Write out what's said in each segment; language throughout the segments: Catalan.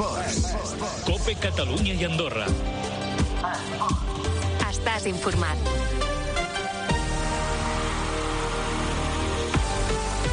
Esports. COPE Catalunya i Andorra. Estàs informat.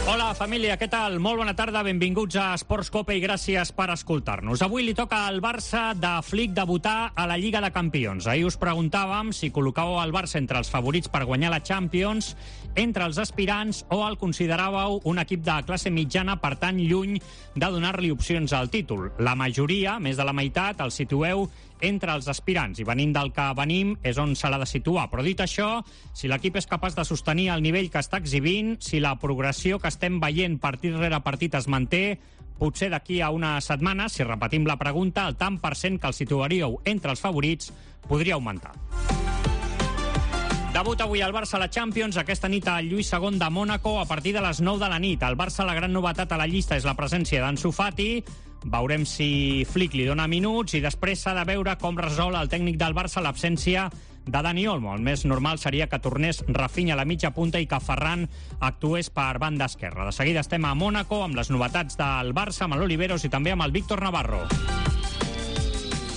Hola, família, què tal? Molt bona tarda, benvinguts a Esports Cope i gràcies per escoltar-nos. Avui li toca al Barça de Flick debutar a la Lliga de Campions. Ahir us preguntàvem si col·locàveu el Barça entre els favorits per guanyar la Champions, entre els aspirants, o el consideràveu un equip de classe mitjana, per tant, lluny de donar-li opcions al títol. La majoria, més de la meitat, el situeu entre els aspirants, i venint del que venim és on se l'ha de situar. Però dit això, si l'equip és capaç de sostenir el nivell que està exhibint, si la progressió que estem veient partit rere partit es manté, potser d'aquí a una setmana, si repetim la pregunta, el tant per cent que el situaríeu entre els favorits podria augmentar. Debut avui al Barça a la Champions, aquesta nit al Lluís II de Mònaco a partir de les 9 de la nit. Al Barça la gran novetat a la llista és la presència d'Ansu Fati. Veurem si Flick li dona minuts i després s'ha de veure com resol el tècnic del Barça l'absència de Dani Olmo. El més normal seria que tornés Rafinha a la mitja punta i que Ferran actués per banda esquerra. De seguida estem a Mònaco amb les novetats del Barça, amb l'Oliveros i també amb el Víctor Navarro.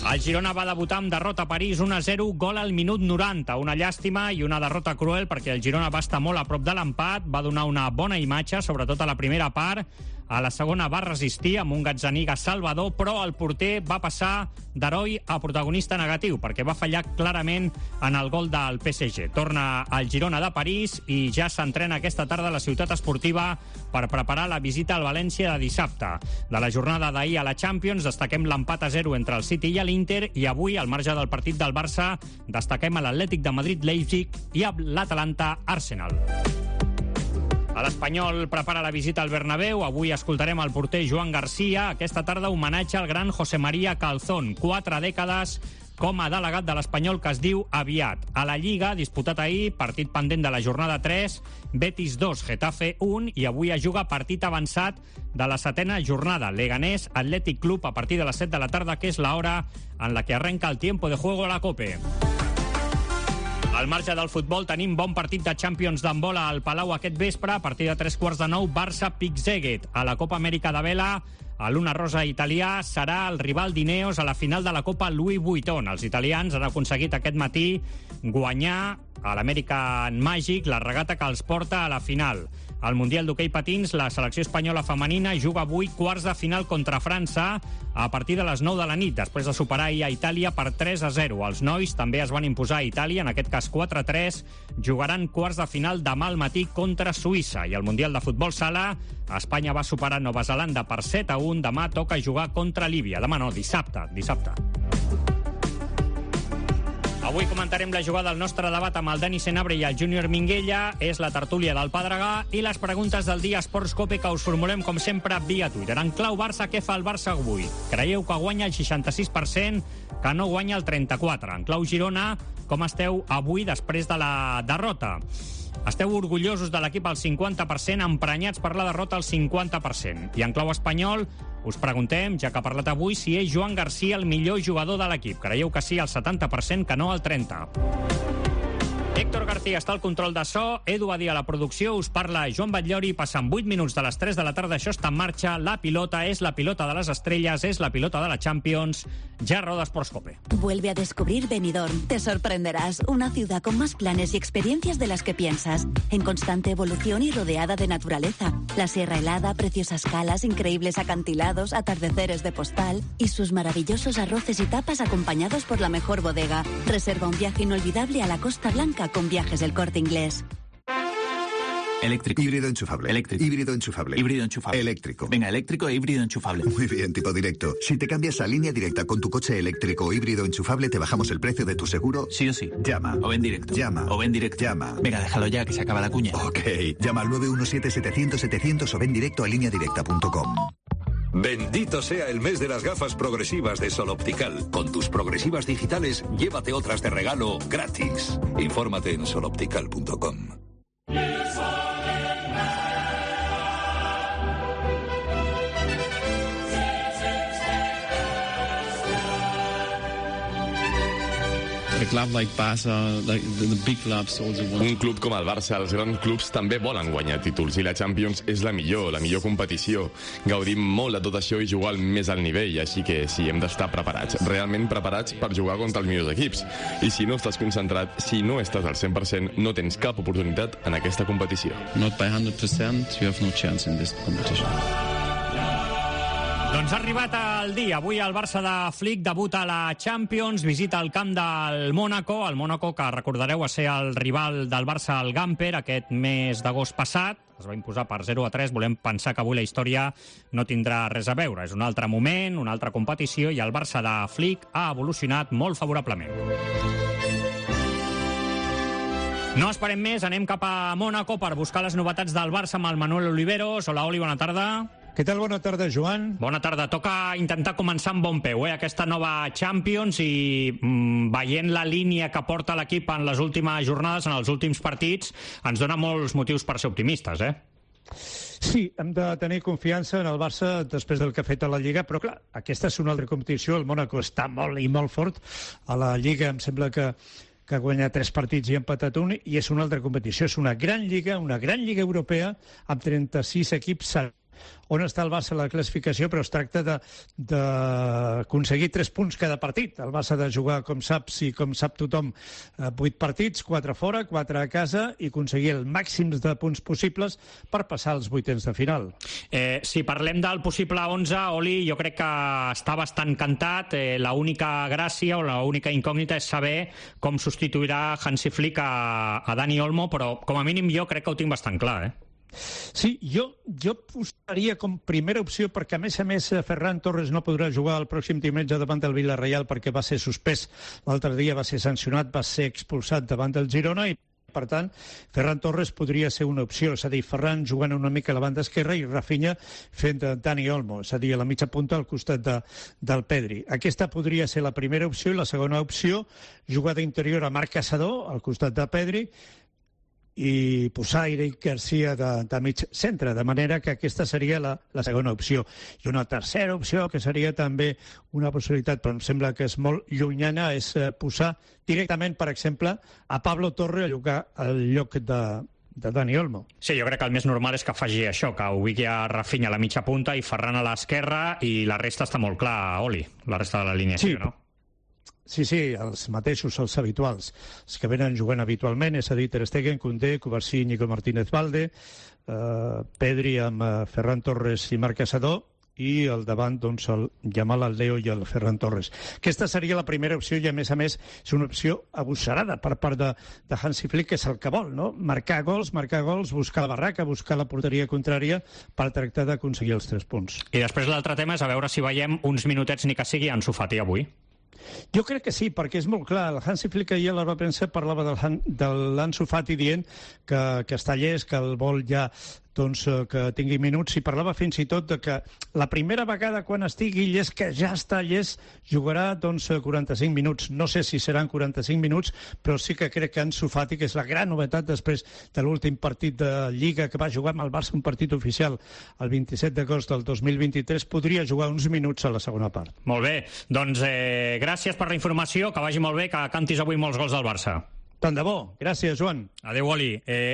El Girona va debutar amb derrota a París 1-0, gol al minut 90. Una llàstima i una derrota cruel perquè el Girona va estar molt a prop de l'empat, va donar una bona imatge, sobretot a la primera part. A la segona va resistir amb un Gazzaniga salvador, però el porter va passar d'heroi a protagonista negatiu perquè va fallar clarament en el gol del PSG. Torna al Girona de París i ja s'entrena aquesta tarda a la ciutat esportiva per preparar la visita al València de dissabte. De la jornada d'ahir a la Champions destaquem l'empat a 0 entre el City i l'Inter, i avui, al marge del partit del Barça, destaquem a l'Atlètic de Madrid-Leipzig i a l'Atalanta-Arsenal. L'Espanyol prepara la visita al Bernabéu. Avui escoltarem el porter Joan Garcia. Aquesta tarda homenatge al gran José María Calzón. 4 dècades com a delegat de l'Espanyol, que es diu aviat. A la Lliga, disputat ahir, partit pendent de la jornada 3, Betis 2, Getafe 1, i avui es juga partit avançat de la 7ª jornada. Leganés Athletic Club a partir de les 7 de la tarda, que és l'hora en la que arrenca el tiempo de juego a la COPE. Al marge del futbol tenim bon partit de Champions d'handbol al Palau aquest vespre. A partir de 3:15, Barça-Pick-Szeged. A la Copa Amèrica de Vela, a l'Una Rosa italià serà el rival d'Ineos a la final de la Copa Louis Vuitton. Els italians han aconseguit aquest matí guanyar a l'American Magic la regata que els porta a la final. Al Mundial d'Hoquei Patins, la selecció espanyola femenina juga avui quarts de final contra França a partir de les 9 de la nit, després de superar ahir a Itàlia per 3-0. Els nois també es van imposar a Itàlia, en aquest cas 4-3. Jugaran quarts de final demà al matí contra Suïssa. I al Mundial de Futbol Sala, Espanya va superar Nova Zelanda per 7-1. Demà toca jugar contra Líbia. Demà no, dissabte. Avui comentarem la jugada del nostre debat amb el Dani Senabre i el Júnior Minguella. És la tertúlia del Pedregà i les preguntes del dia Esports Cope, que us formulem com sempre via Twitter. En clau Barça, què fa el Barça avui? Creieu que guanya el 66%, que no guanya el 34%? En clau Girona, com esteu avui després de la derrota? Esteu orgullosos de l'equip al 50%, emprenyats per la derrota al 50%. I en clau espanyol us preguntem, ja que ha parlat avui, si és Joan Garcia el millor jugador de l'equip. Creieu que sí al 70%, que no al 30%. Héctor García està al control de so, Edu Badia a la producció, us parla Joan Batllori. Passen 8 minuts de les 3 de la tarda, això està en marxa. La pilota és la pilota de les estrelles, és la pilota de la Champions. Ja roda Esports Cope. Vuelve a descubrir Benidorm. Te sorprenderás. Una ciudad con más planes y experiencias de las que piensas. En constante evolución y rodeada de naturaleza. La sierra helada, preciosas calas, increíbles acantilados, atardeceres de postal y sus maravillosos arroces y tapas acompañados por la mejor bodega. Reserva un viaje inolvidable a la Costa Blanca con Viajes El Corte Inglés. Eléctrico. Híbrido enchufable. Eléctrico. Híbrido enchufable. Híbrido enchufable. Eléctrico. Venga, eléctrico e híbrido enchufable. Muy bien, tipo directo. Si te cambias a línea directa con tu coche eléctrico o híbrido enchufable, te bajamos el precio de tu seguro. Sí o sí. Llama. O ven directo. Llama. O ven directo. Llama. Venga, déjalo ya, que se acaba la cuña. Ok. Llama al 917-700-700 o ven directo a lineadirecta.com. Bendito sea el mes de las gafas progresivas de Sol Optical. Con tus progresivas digitales, llévate otras de regalo gratis. Infórmate en soloptical.com. A club like Barça, like the big clubs also want. Un club com el Barça, els grans clubs també volen guanyar títols i la Champions és la millor competició. Gaudim molt de tot això i jugar al més alt nivell, així que sí, hem d'estar preparats, realment preparats per jugar contra els millors equips. I si no estàs concentrat, si no estàs al 100%, no tens cap oportunitat en aquesta competició. Not by 100%, you have no chance in this competition. Doncs ha arribat el dia. Avui el Barça de Flick debuta a la Champions, visita el camp del Mónaco, el Mónaco que recordareu va ser el rival del Barça al Gamper aquest mes d'agost passat. Es va imposar per 0-3. Volem pensar que avui la història no tindrà res a veure. És un altre moment, una altra competició i el Barça de Flick ha evolucionat molt favorablement. No esperem més, anem cap a Mónaco per buscar les novetats del Barça amb el Manuel Oliveros. Hola, Oli, bona tarda. Què tal? Bona tarda, Joan. Bona tarda. Toca intentar començar amb bon peu, aquesta nova Champions i veient la línia que porta l'equip en les últimes jornades, en els últims partits, ens dona molts motius per ser optimistes, Sí, hem de tenir confiança en el Barça després del que ha fet a la Lliga, però clar, aquesta és una altra competició, el Mónaco està molt i molt fort. A la Lliga em sembla que ha guanyat 3 partits i ha empatat un, i és una altra competició. És una gran lliga europea, amb 36 equips. On està el Barça a la classificació, però es tracta d'aconseguir 3 punts cada partit. El Barça ha de jugar, com saps i com sap tothom, 8 partits, 4 fora, 4 a casa, i aconseguir el màxim de punts possibles per passar als vuitens de final. Si parlem del possible 11, Oli, jo crec que està bastant cantat. L'única gràcia o l'única incògnita és saber com substituirà Hansi Flick a Dani Olmo, però com a mínim jo crec que ho tinc bastant clar, Sí, jo posaria com primera opció, perquè a més Ferran Torres no podrà jugar el pròxim diumenge davant del Villarreal perquè va ser suspès. L'altre dia va ser sancionat, va ser expulsat davant del Girona i per tant, Ferran Torres podria ser una opció, és a dir, Ferran jugant una mica a la banda esquerra i Rafinha fent de Dani Olmo, és a dir, a la mitja punta al costat del Pedri. Aquesta podria ser la primera opció, i la segona opció, jugar d'interior a Marc Caçador al costat de Pedri i posar Eric Garcia de mig centre, de manera que aquesta seria la segona opció. I una tercera opció, que seria també una possibilitat, però em sembla que és molt llunyana, és posar directament, per exemple, a Pablo Torre a jugar al lloc de Dani Olmo. Sí, jo crec que el més normal és que faci això, que ubigui a Rafinha a la mitja punta i Ferran a l'esquerra, i la resta està molt clar, Oli, la resta de la línia, sí, no? Sí, els mateixos, els habituals, els que venen jugant habitualment, és a dir, Ter Stegen, Koundé, Kovacic, Nico Martínez-Valde, Pedri amb Ferran Torres i Marc Caçador, i al davant, doncs, el Yamal, el Leo i el Ferran Torres. Aquesta seria la primera opció i, a més, és una opció agosarada per part de Hansi Flick, que és el que vol, no? Marcar gols, buscar la barraca, buscar la porteria contrària per tractar d'aconseguir els 3 punts. I després l'altre tema és a veure si veiem uns minutets ni que sigui Ansu Fati avui. Jo crec que sí, perquè és molt clar. El Hansi Flick ahir a la premsa parlava de l'Ansu Fati dient que està llest, que el vol ja que tingui minuts, i parlava fins i tot de que la primera vegada quan estigui llest, que ja està llest, jugarà 45 minuts. No sé si seran 45 minuts, però sí que crec que Ansu Fati, que és la gran novetat després de l'últim partit de Lliga que va jugar amb el Barça, un partit oficial el 27 d'agost del 2023, podria jugar uns minuts a la segona part. Molt bé, doncs gràcies per la informació, que vagi molt bé, que cantis avui molts gols del Barça. Tant de bo. Gràcies, Joan. Adéu, Oli.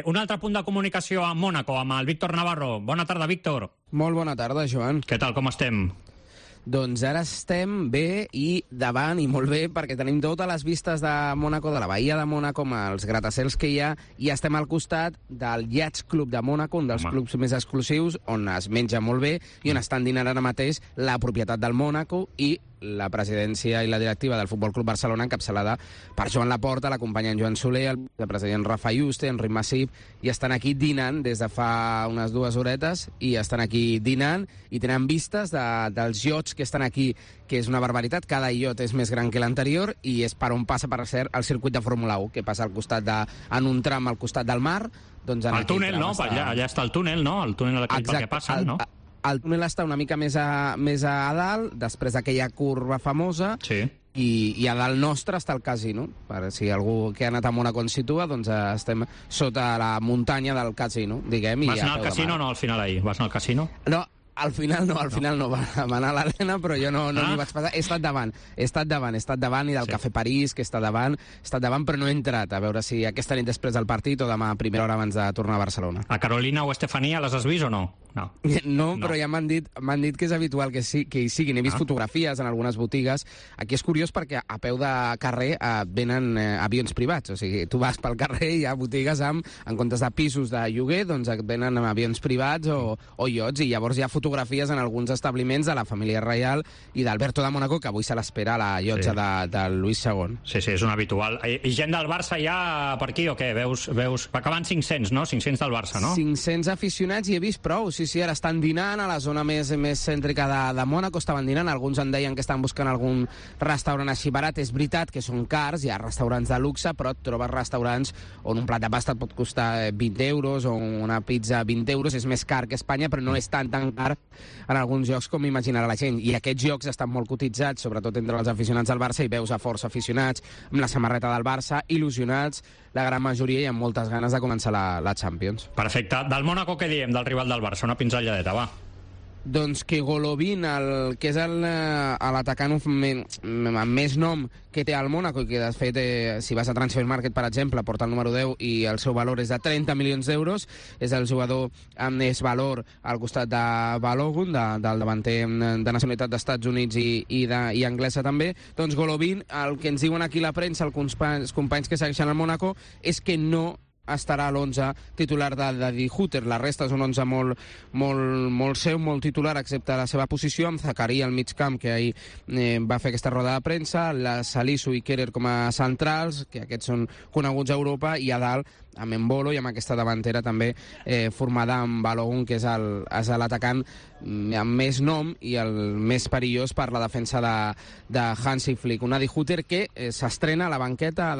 Un altre punt de comunicació a Mónaco, amb el Víctor Navarro. Bona tarda, Víctor. Molt bona tarda, Joan. Què tal, com estem? Doncs ara estem bé i davant, i molt bé, perquè tenim totes les vistes de Mónaco, de la Bahia de Mónaco, amb els gratacels que hi ha, i estem al costat del Yacht Club de Mónaco, un dels clubs més exclusius, on es menja molt bé i on estan dinant ara mateix la propietat del Mónaco i la presidència i la directiva del Futbol Club Barcelona, encapçalada per Joan Laporta, l'acompanyant Joan Soler, el vicepresident Rafa Yuste, Enric Massip, i estan aquí dinant des de fa unes 2 horetes, i estan aquí dinant i tenen vistes dels iots que estan aquí, que és una barbaritat. Cada iot és més gran que l'anterior i és per on passa, per cert, el circuit de Fórmula 1, que passa al costat en un tram al costat del mar. Doncs el túnel, no? Allà està el túnel, no? El túnel aquell per què passen, no? El túnel està una mica més a dalt, després d'aquella curva famosa, sí. I a dalt nostre està el casino. Per si algú que ha anat a Mónaco ens situa, doncs estem sota la muntanya del casino, diguem. Vas anar al casino o no, al final ahir? Vas anar al casino? No, Al final no va anar a l'arena, però jo no m'hi vaig passar. He estat davant, i del Cafè París, que està davant, però no he entrat, a veure si aquesta nit després del partit o demà a primera hora abans de tornar a Barcelona. A Carolina o Estefania les has vist o no? No, però ja m'han dit que és habitual que hi siguin. He vist fotografies en algunes botigues. Aquí és curiós perquè a peu de carrer venen avions privats, o sigui, tu vas pel carrer i hi ha botigues en comptes de pisos de lloguer, doncs et venen avions privats o iots, i llavors hi ha fotografies en alguns establiments de la família reial i d'Alberto de Mónaco, que avui se l'espera a la llotja de Luis II. Sí, és un habitual. I gent del Barça ja per aquí o què? Veus? Acaben 500, no? 500 del Barça, no? 500 aficionats i he vist prou, sí, ara estan dinant a la zona més cèntrica de Mónaco, estaven dinant, alguns em deien que estan buscant algun restaurant així barat. És veritat que són cars, hi ha restaurants de luxe, però et trobes restaurants on un plat de pasta et pot costar 20 euros o una pizza 20 euros, és més car que Espanya, però no és tan car en alguns llocs com imaginarà la gent. I aquests llocs estan molt cotitzats, sobretot entre els aficionats del Barça, i veus a força aficionats amb la samarreta del Barça, il·lusionats, la gran majoria, i amb moltes ganes de començar la Champions. Perfecte. Del Mónaco què diem, del rival del Barça? Una pinzelladeta, va. Doncs que Golovin, que és l'atacant amb més nom que té al Mónaco, i que de fet, si vas a Transfermarkt, per exemple, porta el número 10 i el seu valor és de 30 milions d'euros, és el jugador amb més valor al costat de Balogun, del davanter de nacionalitat d'Estats Units i anglesa també. Doncs Golovin, el que ens diuen aquí la premsa, els companys que segueixen el Mónaco, és que no estarà a l'11 titular de Die Hutter. La resta és un 11 molt seu, molt titular, excepte la seva posició, amb Zakaria al mig camp, que ahir va fer aquesta roda de premsa, la Salisu i Kerer com a centrals, que aquests són coneguts a Europa, i a dalt amb Embolo i amb aquesta davantera també formada amb Balogun, que és l'atacant amb més nom i el més perillós per la defensa de Hansi Flick. Una Die Hutter que s'estrena a la banqueta,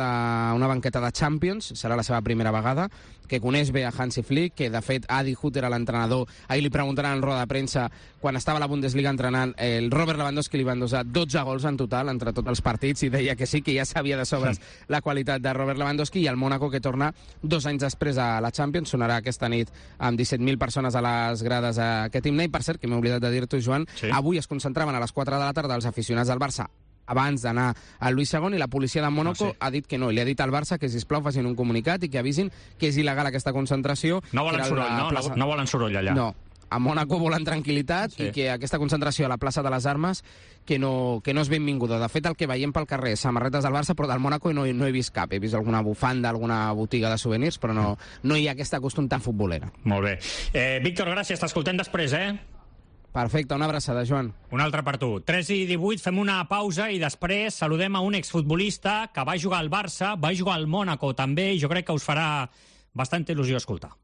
una banqueta de Champions, serà la seva primera vegada, que coneix bé a Hansi Flick, que de fet a Die Hutter, a l'entrenador, ahir li preguntaran en roda de premsa, quan estava a la Bundesliga entrenant, el Robert Lewandowski li van dosar 12 gols en total entre tots els partits, i deia que sí, que ja sabia de sobres la qualitat de Robert Lewandowski. I el Mónaco, que torna 2 anys després a la Champions, sonarà aquesta nit amb 17.000 persones a les grades a aquest himne. I per cert, que m'he oblidat de dir-t'ho, Joan, avui es concentraven a les 4 de la tarda els aficionats del Barça abans d'anar al Luis II, i la policia de Mónaco ha dit que no, i li ha dit al Barça que, sisplau, facin un comunicat i que avisin que és il·legal aquesta concentració. No volen soroll, no volen soroll allà. No, a Mónaco volen tranquil·litat, i que aquesta concentració a la plaça de les Armes que no és benvinguda. De fet, el que veiem pel carrer, samarretes del Barça, però del Mónaco no he vist cap. He vist alguna bufanda, alguna botiga de souvenirs, però no hi ha aquesta costum tan futbolera. Molt bé. Víctor, gràcies, t'escoltem després, Perfecte, una abraçada, Joan. Una altra per tu. 3:18, fem una pausa i després saludem a un exfutbolista que va jugar al Barça, va jugar al Mónaco també, i jo crec que us farà bastanta il·lusió escoltar.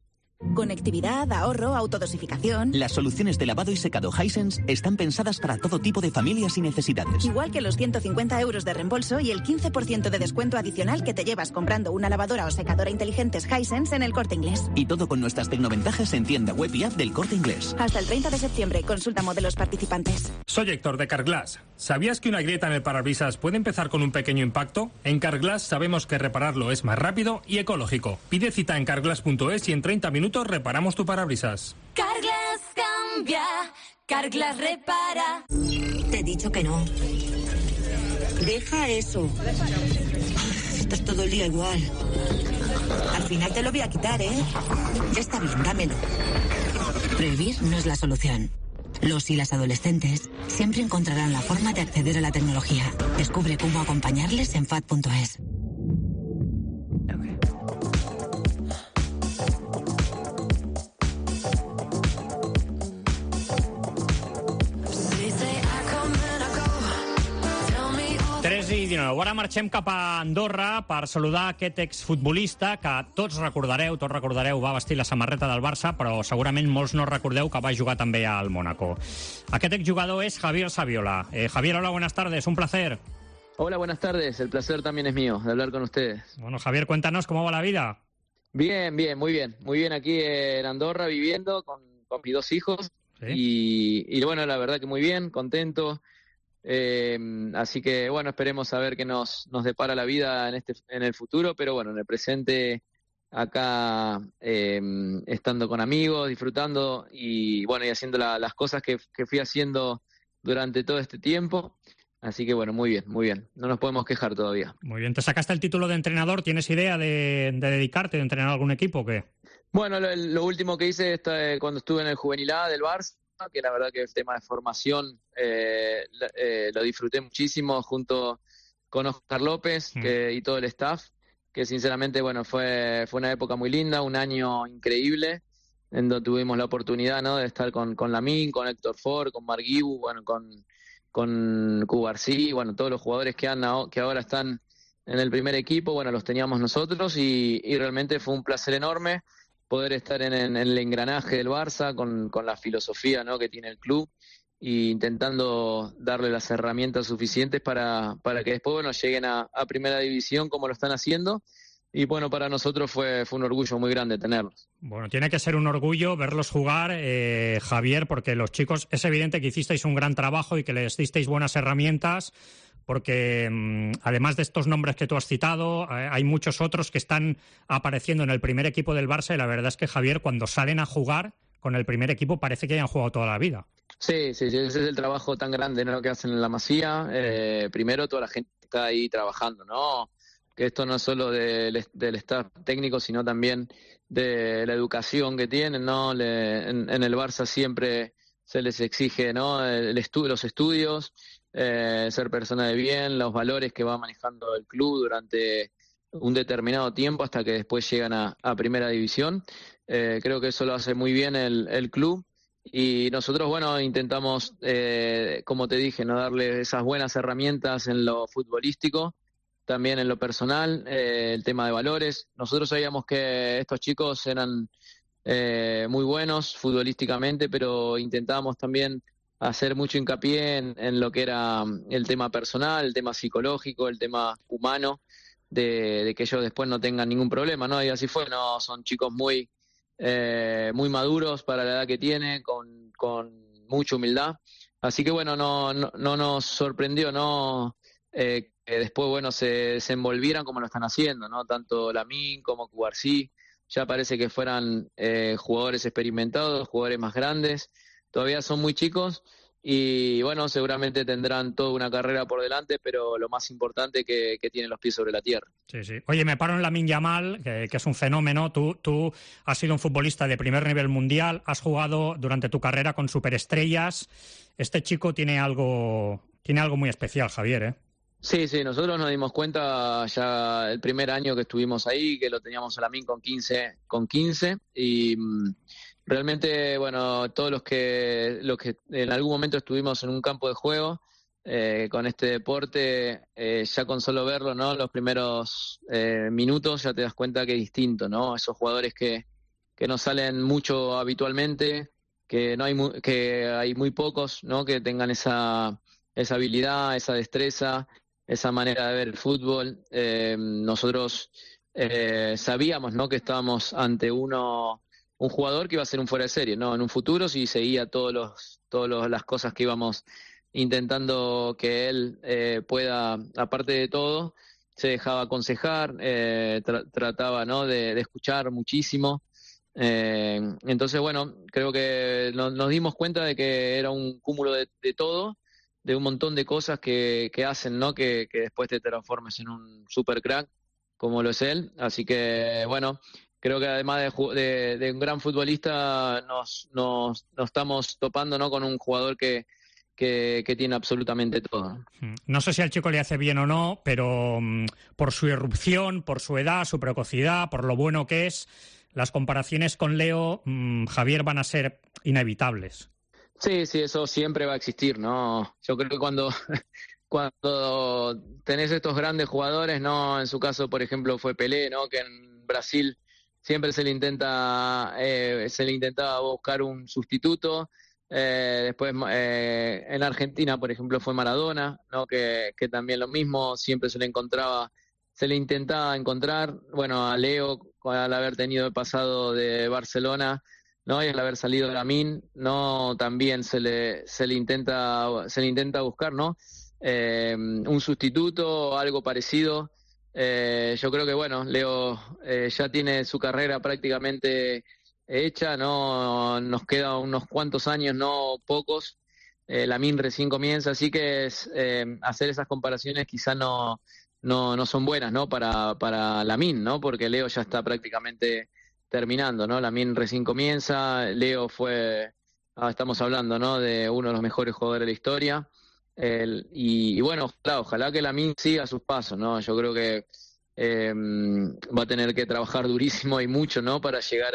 Conectividad, ahorro, autodosificación. Las soluciones de lavado y secado Hisense están pensadas para todo tipo de familias y necesidades. Igual que los 150 euros de reembolso y el 15% de descuento adicional que te llevas comprando una lavadora o secadora inteligentes Hisense en el Corte Inglés. Y todo con nuestras tecnoventajas en tienda web y app del Corte Inglés. Hasta el 30 de septiembre, consulta modelos participantes. Soy Héctor de Carglass. ¿Sabías que una grieta en el parabrisas puede empezar con un pequeño impacto? En Carglass sabemos que repararlo es más rápido y ecológico. Pide cita en carglass.es y en 30 minutos reparamos tu parabrisas. Carglass cambia, Carglass repara. Te he dicho que no. Deja eso. Estás todo el día igual. Al final te lo voy a quitar, ¿eh? Está bien, dámelo. Prohibir no es la solución. Los y las adolescentes siempre encontrarán la forma de acceder a la tecnología. Descubre cómo acompañarles en FAD.es. I 19. Ara marxem cap a Andorra per saludar aquest exfutbolista que tots recordareu, va vestir la samarreta del Barça, però segurament molts no recordeu que va jugar també al Mónaco. Aquest exjugador es Javier Saviola. Javier, hola, buenas tardes, un placer. Hola, buenas tardes, el placer también es mío de hablar con ustedes. Bueno, Javier, cuéntanos cómo va la vida. Bien, muy bien aquí en Andorra viviendo con mis 2 hijos. ¿Sí? Y bueno, la verdad que muy bien, contento. Así que bueno, esperemos a ver qué nos depara la vida en el futuro, pero bueno, en el presente acá estando con amigos, disfrutando y bueno, y haciendo las cosas que fui haciendo durante todo este tiempo. Así que bueno, muy bien, no nos podemos quejar todavía. Muy bien, te sacaste el título de entrenador, ¿tienes idea de dedicarte, de entrenar a algún equipo o qué? Bueno, lo último que hice cuando estuve en el Juvenil A del Barça, que la verdad que el tema de formación lo disfruté muchísimo junto con Oscar López y todo el staff, que sinceramente bueno fue una época muy linda, un año increíble, en donde tuvimos la oportunidad, ¿no?, de estar con Lamine, con Héctor Ford, con Marc Guibu, bueno, con Cubarsí, bueno, todos los jugadores que ahora están en el primer equipo, bueno, los teníamos nosotros y realmente fue un placer enorme poder estar en el engranaje del Barça con la filosofía, ¿no?, que tiene el club, e intentando darle las herramientas suficientes para que después, bueno, lleguen a primera división como lo están haciendo. Y bueno, para nosotros fue un orgullo muy grande tenerlos. Bueno, tiene que ser un orgullo verlos jugar, Javier, porque los chicos, es evidente que hicisteis un gran trabajo y que les disteis buenas herramientas, porque además de estos nombres que tú has citado, hay muchos otros que están apareciendo en el primer equipo del Barça y la verdad es que, Javier, cuando salen a jugar con el primer equipo parece que hayan jugado toda la vida. Sí, ese es el trabajo tan grande, ¿no?, que hacen en la Masía. Primero, toda la gente está ahí trabajando, ¿no?, que esto no es solo del staff técnico, sino también de la educación que tienen, ¿no? En el Barça siempre se les exige, ¿no?, los estudios, ser persona de bien, los valores que va manejando el club durante un determinado tiempo hasta que después llegan a primera división. Creo que eso lo hace muy bien el club. Y nosotros, bueno, intentamos, como te dije, no darle esas buenas herramientas en lo futbolístico, también en lo personal, el tema de valores. Nosotros sabíamos que estos chicos eran muy buenos futbolísticamente, pero intentábamos también hacer mucho hincapié en lo que era el tema personal, el tema psicológico, el tema humano, de que ellos después no tengan ningún problema, ¿no? Y así fue, ¿no? Son chicos muy maduros para la edad que tienen, con mucha humildad. Así que bueno, no nos sorprendió, ¿no?, que después, bueno, se envolvieran como lo están haciendo, ¿no? Tanto Lamine como Cubarsí, ya parece que fueran jugadores experimentados, jugadores más grandes. Todavía son muy chicos y, bueno, seguramente tendrán toda una carrera por delante, pero lo más importante que tienen los pies sobre la tierra. Sí, sí. Oye, me paro en Lamine Yamal, que es un fenómeno. Tú has sido un futbolista de primer nivel mundial, has jugado durante tu carrera con superestrellas. Este chico tiene algo muy especial, Javier, ¿eh? Sí, nosotros nos dimos cuenta ya el primer año que estuvimos ahí, que lo teníamos a Lamine con 15 y realmente, bueno, todos los que en algún momento estuvimos en un campo de juego con este deporte, ya con solo verlo, ¿no?, los primeros minutos ya te das cuenta que es distinto, ¿no? Esos jugadores que no salen mucho habitualmente, que hay muy pocos, ¿no?, que tengan esa habilidad, esa destreza, esa manera de ver el fútbol. Nosotros sabíamos, ¿no?, que estábamos ante un jugador que iba a ser un fuera de serie, ¿no?, en un futuro, si seguía todas las cosas que íbamos intentando que él pueda, aparte de todo, se dejaba aconsejar, trataba, ¿no?, de escuchar muchísimo. Entonces, bueno, creo que nos dimos cuenta de que era un cúmulo de todo, de un montón de cosas que hacen, ¿no?, que después te transformes en un super crack como lo es él. Así que, bueno, creo que además de un gran futbolista nos estamos topando, ¿no?, con un jugador que tiene absolutamente todo. No sé si al chico le hace bien o no, pero por su irrupción, por su edad, su precocidad, por lo bueno que es, las comparaciones con Leo, Javier, van a ser inevitables. Sí, eso siempre va a existir, ¿no? Yo creo que cuando tenés estos grandes jugadores, ¿no? En su caso, por ejemplo, fue Pelé, ¿no?, que en Brasil siempre se le intentaba buscar un sustituto. Después en Argentina, por ejemplo, fue Maradona, ¿no?, que también lo mismo, siempre se le intentaba encontrar. Bueno, a Leo, al haber tenido el pasado de Barcelona, ¿no?, y al haber salido de Lamine, ¿no?, también se le intenta buscar, ¿no?, un sustituto o algo parecido. Yo creo que, bueno, Leo ya tiene su carrera prácticamente hecha, ¿no? Nos queda unos cuantos años, no pocos. Lamine recién comienza, así que hacer esas comparaciones quizá no son buenas, ¿no? Para Lamine, ¿no? Porque Leo ya está prácticamente terminando, ¿no? Lamine recién comienza, Leo estamos hablando, ¿no? De uno de los mejores jugadores de la historia. Y bueno, ojalá que Lamine siga sus pasos, ¿no? Yo creo que va a tener que trabajar durísimo y mucho, ¿no? Para llegar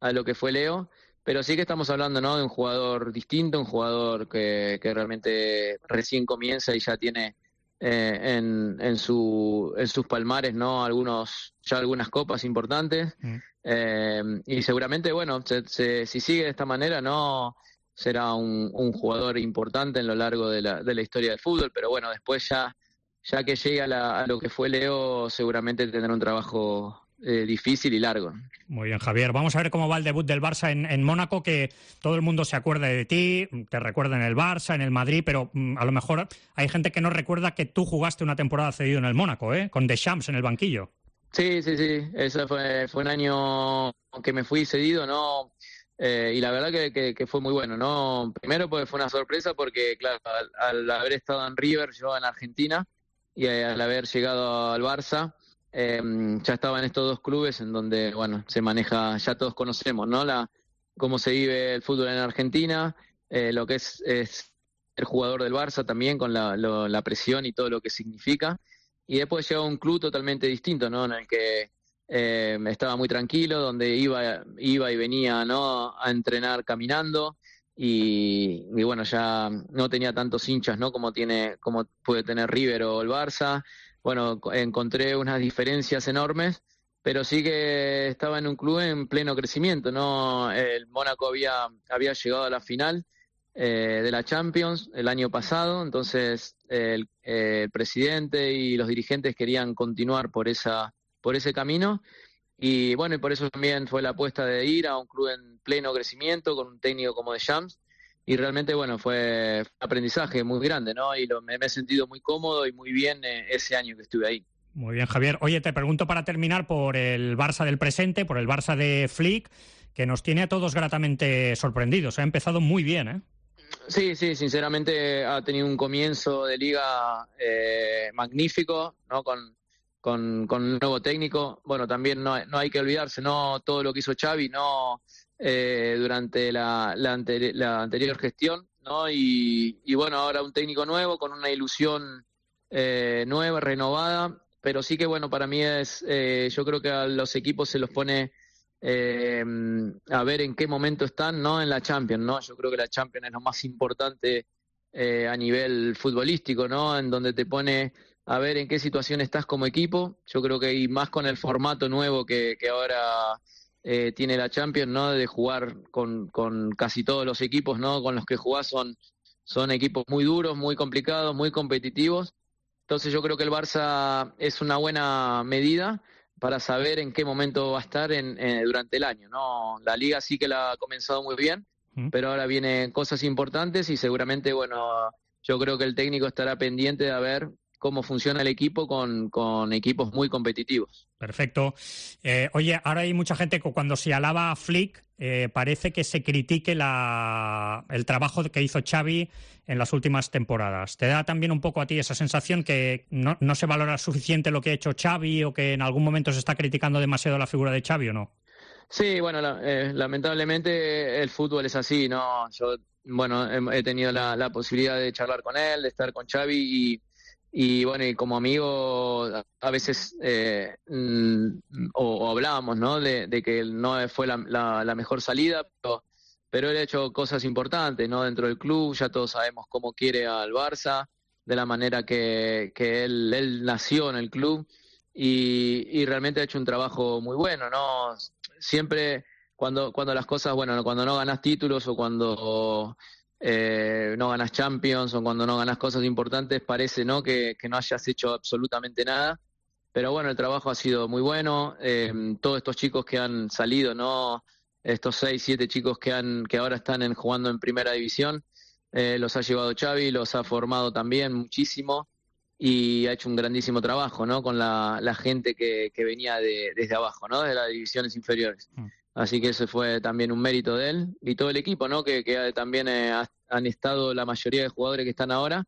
a lo que fue Leo. Pero sí que estamos hablando, ¿no? De un jugador distinto, un jugador que realmente recién comienza y ya tiene en sus palmares, ¿no? Algunas copas importantes. Y seguramente, bueno, si sigue de esta manera, ¿no? Será un jugador importante en lo largo de la historia del fútbol. Pero bueno, después ya que llegue a lo que fue Leo, seguramente tendrá un trabajo difícil y largo. Muy bien, Javier. Vamos a ver cómo va el debut del Barça en Mónaco, que todo el mundo se acuerda de ti, te recuerda en el Barça, en el Madrid, pero a lo mejor hay gente que no recuerda que tú jugaste una temporada cedido en el Mónaco, con Deschamps en el banquillo. Sí. Ese fue un año que me fui cedido, ¿no? Y la verdad que fue muy bueno, ¿no? Primero pues fue una sorpresa porque, claro, al haber estado en River, yo en Argentina, y al haber llegado al Barça, ya estaba en estos dos clubes en donde, bueno, se maneja, ya todos conocemos, ¿no? Cómo se vive el fútbol en Argentina, lo que es el jugador del Barça también, con la presión y todo lo que significa. Y después llegó a un club totalmente distinto, ¿no? En el que estaba muy tranquilo, donde iba y venía, ¿no? A entrenar caminando. Y bueno, ya no tenía tantos hinchas, ¿no? Como puede tener River o el Barça. Bueno, encontré unas diferencias enormes, pero sí que estaba en un club en pleno crecimiento, ¿no? El Mónaco había llegado a la final de la Champions el año pasado, entonces el presidente y los dirigentes querían continuar por ese camino, y bueno, y por eso también fue la apuesta de ir a un club en pleno crecimiento con un técnico como Deschamps. Y realmente, bueno, fue un aprendizaje muy grande, ¿no? Y me he sentido muy cómodo y muy bien ese año que estuve ahí. Muy bien, Javier. Oye, te pregunto para terminar por el Barça del presente, por el Barça de Flick, que nos tiene a todos gratamente sorprendidos. Ha empezado muy bien, ¿eh? Sí, sinceramente ha tenido un comienzo de liga magnífico, ¿no? Con un nuevo técnico. Bueno, también no hay que olvidarse, ¿no? Todo lo que hizo Xavi, ¿no? Durante la anterior gestión, ¿no? Y bueno, ahora un técnico nuevo con una ilusión nueva, renovada, pero sí que bueno, para mí yo creo que a los equipos se los pone a ver en qué momento están, ¿no? En la Champions, ¿no? Yo creo que la Champions es lo más importante a nivel futbolístico, ¿no? En donde te pone a ver en qué situación estás como equipo. Yo creo que y más con el formato nuevo que ahora tiene la Champions, ¿no? De jugar con casi todos los equipos, ¿no? Con los que jugás son equipos muy duros, muy complicados, muy competitivos. Entonces yo creo que el Barça es una buena medida para saber en qué momento va a estar durante el año, ¿no? La Liga sí que la ha comenzado muy bien, pero ahora vienen cosas importantes y seguramente, bueno, yo creo que el técnico estará pendiente de ver cómo funciona el equipo con equipos muy competitivos. Perfecto. Oye, ahora hay mucha gente que cuando se alaba a Flick parece que se critique el trabajo que hizo Xavi en las últimas temporadas. ¿Te da también un poco a ti esa sensación que no se valora suficiente lo que ha hecho Xavi o que en algún momento se está criticando demasiado la figura de Xavi o no? Sí, bueno, lamentablemente el fútbol es así, ¿no? Yo, bueno, he tenido la posibilidad de charlar con él, de estar con Xavi y bueno, y como amigo a veces o hablábamos, ¿no? De que no fue la mejor salida, pero él ha hecho cosas importantes, ¿no? Dentro del club, ya todos sabemos cómo quiere al Barça, de la manera que él nació en el club y realmente ha hecho un trabajo muy bueno, ¿no? Siempre cuando las cosas, bueno, cuando no ganas títulos o cuando no ganas Champions o cuando no ganas cosas importantes, parece, ¿no? que no hayas hecho absolutamente nada, pero bueno, el trabajo ha sido muy bueno. Todos estos chicos que han salido, ¿no? Estos 6, 7 chicos que ahora están jugando en primera división, los ha llevado Xavi, los ha formado también muchísimo y ha hecho un grandísimo trabajo, ¿no? Con la gente que venía desde abajo, ¿no? De las divisiones inferiores. Así que ese fue también un mérito de él y todo el equipo, ¿no? Que también han estado, la mayoría de jugadores que están ahora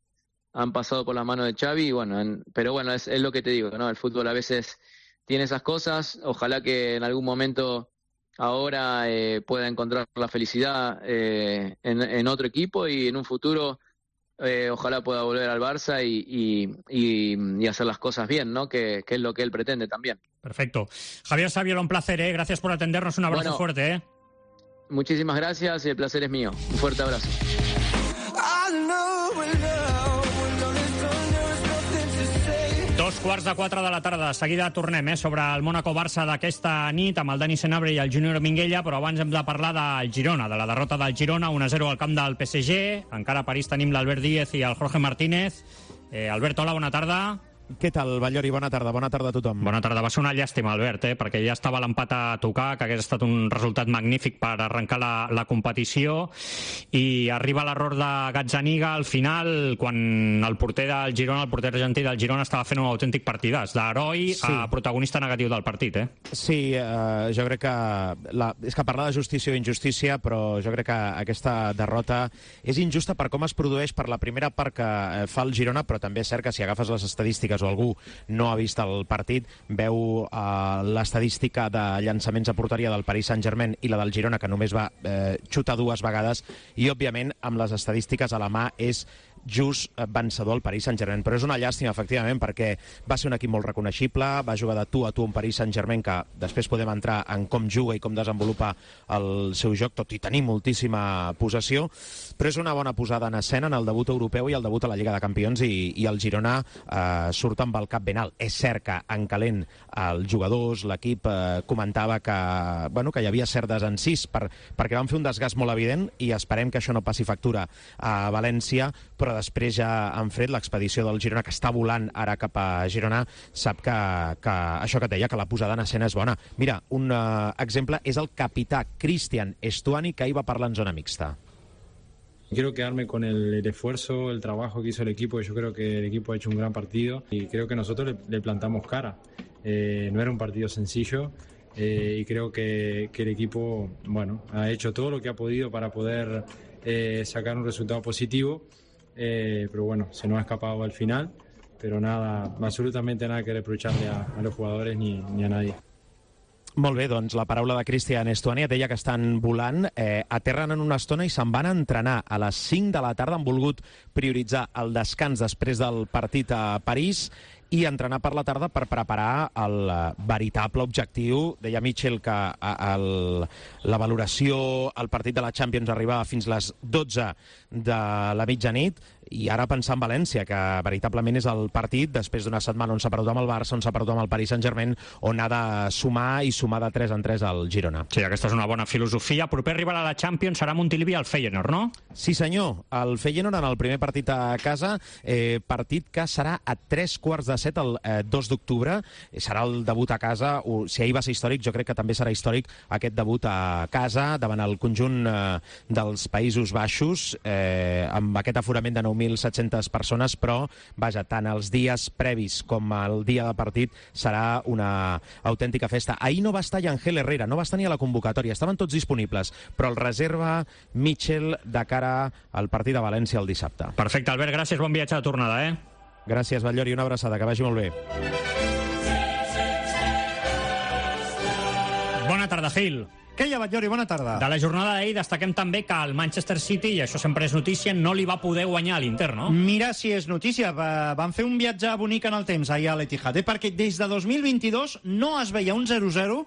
han pasado por las manos de Xavi, y bueno, pero bueno, es lo que te digo, ¿no? El fútbol a veces tiene esas cosas. Ojalá que en algún momento ahora pueda encontrar la felicidad en otro equipo, y en un futuro ojalá pueda volver al Barça y hacer las cosas bien, ¿no? Que es lo que él pretende también. Perfecto. Javier Saviola, un placer, ¿eh? Gracias por atendernos, un abrazo fuerte, ¿eh? Muchísimas gracias y el placer es mío. Un fuerte abrazo. 3:15 de la tarda. De seguida tornem sobre el Mónaco-Barça d'aquesta nit amb el Dani Senabre i el Júnior Minguella, però abans hem de parlar del Girona, de la derrota del Girona, 1-0 al camp del PSG. Encara a París tenim l'Albert Díez i el Jorge Martínez. Albert, hola, bona tarda. Què tal, Ballori? Bona tarda a tothom. Bona tarda. Va ser una llàstima, Albert, perquè ja estava l'empat a tocar, que hagués estat un resultat magnífic per arrencar la competició, i arriba l'error de Gazzaniga al final, quan el porter del Girona, el porter argentí del Girona, estava fent un autèntic partidàs, d'heroi a protagonista negatiu del partit, eh? Sí, jo crec que... És que parlar de justícia o injustícia, però jo crec que aquesta derrota és injusta per com es produeix, per la primera part que fa el Girona, però també és cert que si agafes les estadístiques o algú no ha vist el partit, veu l'estadística de llançaments a porteria del Paris Saint-Germain i la del Girona, que només va xutar 2 vegades, i òbviament amb les estadístiques a la mà és just vencedor el Paris Saint-Germain. Però és una llàstima, efectivament, perquè va ser un equip molt reconeixible, va jugar de tu a tu un Paris Saint-Germain que després podem entrar en com juga i com desenvolupa el seu joc, tot i tenir moltíssima possessió, però és una bona posada en escena en el debut europeu i el debut a la Lliga de Campions, i el Girona surt amb el cap ben alt. És cert que en calent els jugadors, l'equip comentava que hi havia cert desencís perquè van fer un desgast molt evident, i esperem que això no passi factura a València, però després ja en fred l'expedició del Girona, que està volant ara cap a Girona, sap que això que et deia, que la posada en escena és bona. Mira, un exemple és el capità Cristian Estuani, que ahir va parlar en zona mixta. Quiero quedarme con el esfuerzo, el trabajo que hizo el equipo. Yo creo que el equipo ha hecho un gran partido y creo que nosotros le plantamos cara. No era un partido sencillo y creo que el equipo ha hecho todo lo que ha podido para poder sacar un resultado positivo. Pero bueno, se nos ha escapado al final, pero nada, absolutamente nada que reprocharle a los jugadores ni a nadie. Molt bé, doncs la paraula de Cristian Estuani. Deia que estan volant, aterren en una estona i se'n van a entrenar a les 5 de la tarda. Han volgut prioritzar el descans després del partit a París i entrenar per la tarda per preparar el veritable objectiu. Deia Mitchell que la valoració al partit de la Champions arribava fins les 12 de la mitjanit, i ara pensar en València, que veritablement és el partit després d'una setmana on s'ha perdut amb el Barça, on s'ha perdut amb el Paris Saint-Germain, on ha de sumar i sumar de 3 en 3 al Girona. Sí, aquesta és una bona filosofia. Proper rival a la Champions serà Montilivi al Feyenoord, no? Sí, senyor. El Feyenoord en el primer partit a casa, partit que serà a 3:15 el 2 d'octubre. Serà el debut a casa. Si ahir va ser històric, jo crec que també serà històric aquest debut a casa davant el conjunt dels Països Baixos, amb aquest aforament de 9.700 persones, però, vaja, tant els dies previs com el dia de partit serà una autèntica festa. Ahir no va estar Yangel Herrera, no va estar ni a la convocatòria, estaven tots disponibles, però el reserva Mitchell de cara al partit de València el dissabte. Perfecte, Albert, gràcies, bon viatge de tornada, eh? Gràcies, Batllori, una abraçada, que vagi molt bé. Bona tarda, Gil. Què hi ha, Batllori? Bona tarda. De la jornada d'ahir destaquem també que el Manchester City, i això sempre és notícia, no li va poder guanyar a l'Inter, no? Mira si és notícia. Van fer un viatge bonic en el temps ahir a l'Etihad, perquè des de 2022 no es veia un 0-0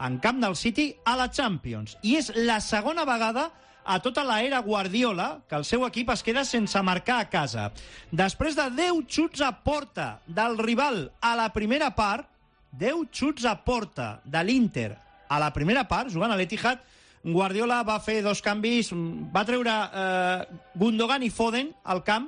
en camp del City a la Champions. I és la segona vegada a tota l'era Guardiola que el seu equip es queda sense marcar a casa. Després de 10 xuts a porta del rival a la primera part, 10 xuts a porta de l'Inter a la primera part, jugant a l'Etihad, Guardiola va fer 2 canvis, va treure Gundogan i Foden al camp,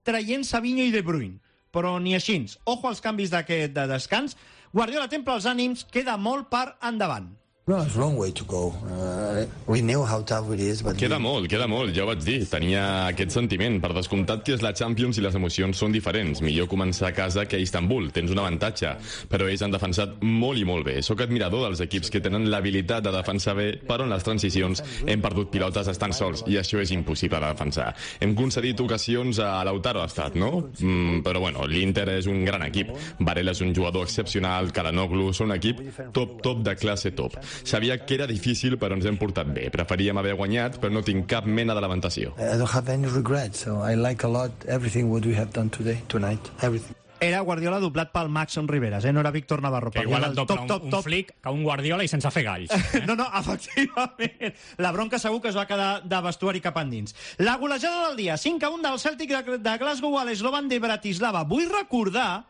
traient Savinho i De Bruyne. Però ni així. Ojo als canvis d'aquest de descans. Guardiola templa els ànims, queda molt per endavant. No, it's a long way to go. We knew how tough it is, but... Queda molt, ja ho vaig dir. Tenia aquest sentiment. Per descomptat que és la Champions i les emocions són diferents. Millor començar a casa que a Istanbul. Tens un avantatge. Però ells han defensat molt i molt bé. Soc admirador dels equips que tenen l'habilitat de defensar bé, però en les transicions hem perdut pilotes estan sols, i això és impossible de defensar. Hem concedit ocasions a Lautaro ha estat, no? Però bueno, l'Inter és un gran equip. Varela és un jugador excepcional, Calhanoglu són un equip top de classe top. Sabia que era difícil, però ens hem portat bé. Preferíem haver guanyat, però no tinc cap mena de lamentació. I don't have any regrets, so I like a lot everything what we have done tonight, everything. Era Guardiola doblat pel Maxon Riveras, no era Víctor Navarro. Que igual et dobla un flic que un Guardiola i sense fer galls. No, efectivament. La bronca segur que es va quedar de vestuari cap endins. La golejada del dia, 5-1 del Celtic de Glasgow a l'Slovan de Bratislava. Vull recordar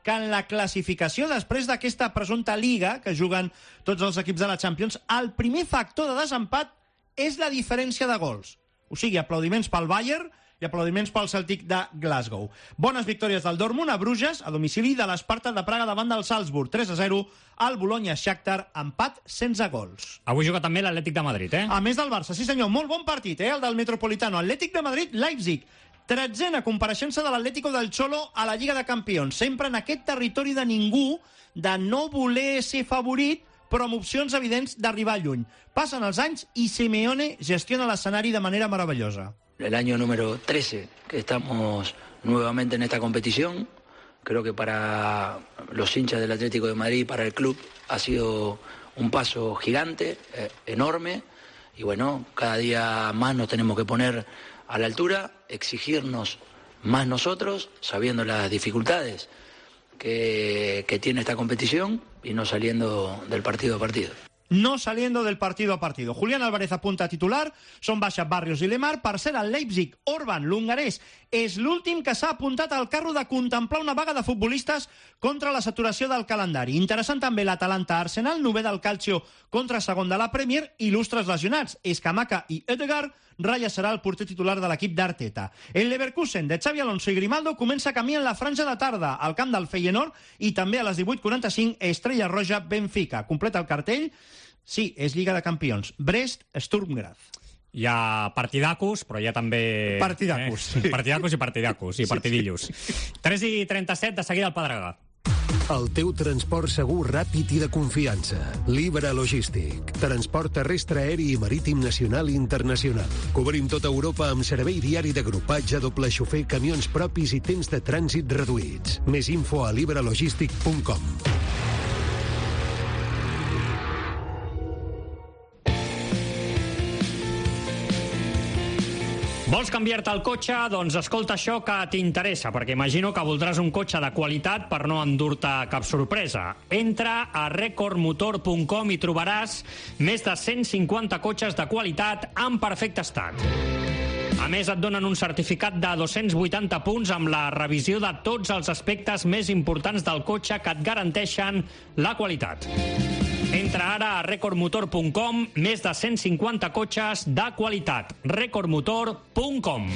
que en la classificació després d'aquesta presumpta lliga que juguen tots els equips de la Champions, el primer factor de desempat és la diferència de gols. O sigui, aplaudiments pel Bayern i aplaudiments pel Celtic de Glasgow. Bones victòries del Dortmund a Bruges, a domicili de l'Sparta de Praga davant del Salzburg, 3-0, al Bologna-Shakhtar, empat sense gols. Avui juga també l'Atlètic de Madrid, A més del Barça, sí senyor, molt bon partit, el del Metropolitano. Atlètic de Madrid-Leipzig. 13a compareixença de l'Atlético del Cholo a la Lliga de Campions. Sempre en aquest territori de ningú, de no voler ser favorit, però amb opcions evidents d'arribar lluny. Passen els anys i Simeone gestiona l'escenari de manera maravillosa. El año número 13 que estamos nuevamente en esta competición. Creo que para los hinchas del Atlético de Madrid y para el club ha sido un paso gigante, enorme. Y bueno, cada día más nos tenemos que poner a la altura, exigirnos más nosotros, sabiendo las dificultades que tiene esta competición y no saliendo del partido a partido. No saliendo del partido a partido. Julián Álvarez apunta a titular, són baixa Barrios i Lemar. Per ser el Leipzig, Orban, l'hongarès, és l'últim que s'ha apuntat al carro de contemplar una vaga de futbolistes contra la saturació del calendari. Interessant també l'Atalanta-Arsenal, novè del Calcio contra segon de la Premier, il·lustres lesionats. Escamaca i Ødegaard, Raya serà el porter titular de l'equip d'Arteta. El Leverkusen de Xavi Alonso i Grimaldo comença camí en la franja de tarda al camp del Feyenoord i també a les 18:45 Estrella Roja Benfica. Completa el cartell. Sí, és Lliga de Campions. Brest, Sturm Graz. Hi ha partidacos, però hi ha també... Partidacos. Partidacos i partidillos. 3:37, de seguida al Pedregà. El teu transport segur, ràpid i de confiança. Libra Logístic. Transport terrestre, aeri i marítim nacional i internacional. Cobrim tota Europa amb servei diari d'agrupatge, doble xofer, camions propis i temps de trànsit reduïts. Més info a libralogistic.com. Vols canviar-te el cotxe? Doncs escolta això que t'interessa, perquè imagino que voldràs un cotxe de qualitat per no endur-te cap sorpresa. Entra a recordmotor.com i trobaràs més de 150 cotxes de qualitat en perfecte estat. A més, et donen un certificat de 280 punts amb la revisió de tots els aspectes més importants del cotxe que et garanteixen la qualitat. Entra ara a recordmotor.com, més de 150 cotxes de qualitat. recordmotor.com.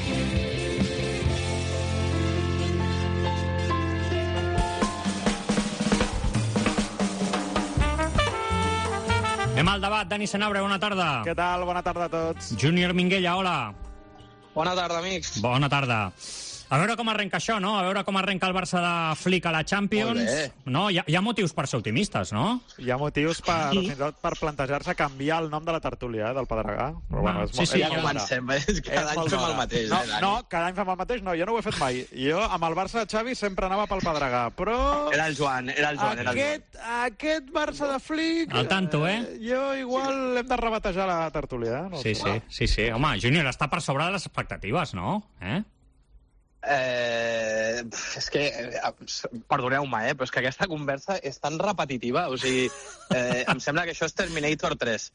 Anem al debat. Dani Senabre, bona tarda. Què tal? Bona tarda a tots. Júnior Minguella, hola. Bona tarda, amics. Bona tarda. A veure com arrenca això, no? A veure com arrenca el Barça de Flick a la Champions. No? Hi ha motius per ser optimistes, no? Hi ha motius fins i tot per plantejar-se canviar el nom de la tertúlia, del Pedregà. Però bueno, ja comencem, cada any fem el mateix. No, cada any fem el mateix, no, jo no ho he fet mai. Jo amb el Barça de Xavi sempre anava pel Pedregà, però... Era el Joan. Aquest Barça de Flick... Al tanto, Jo igual hem de rebatejar la tertúlia, no? Sí. Home, Júnior, està per sobre de les expectatives, no? És que, perdoneu-me, però és que aquesta conversa és tan repetitiva, o sigui, em sembla que això és Terminator 3.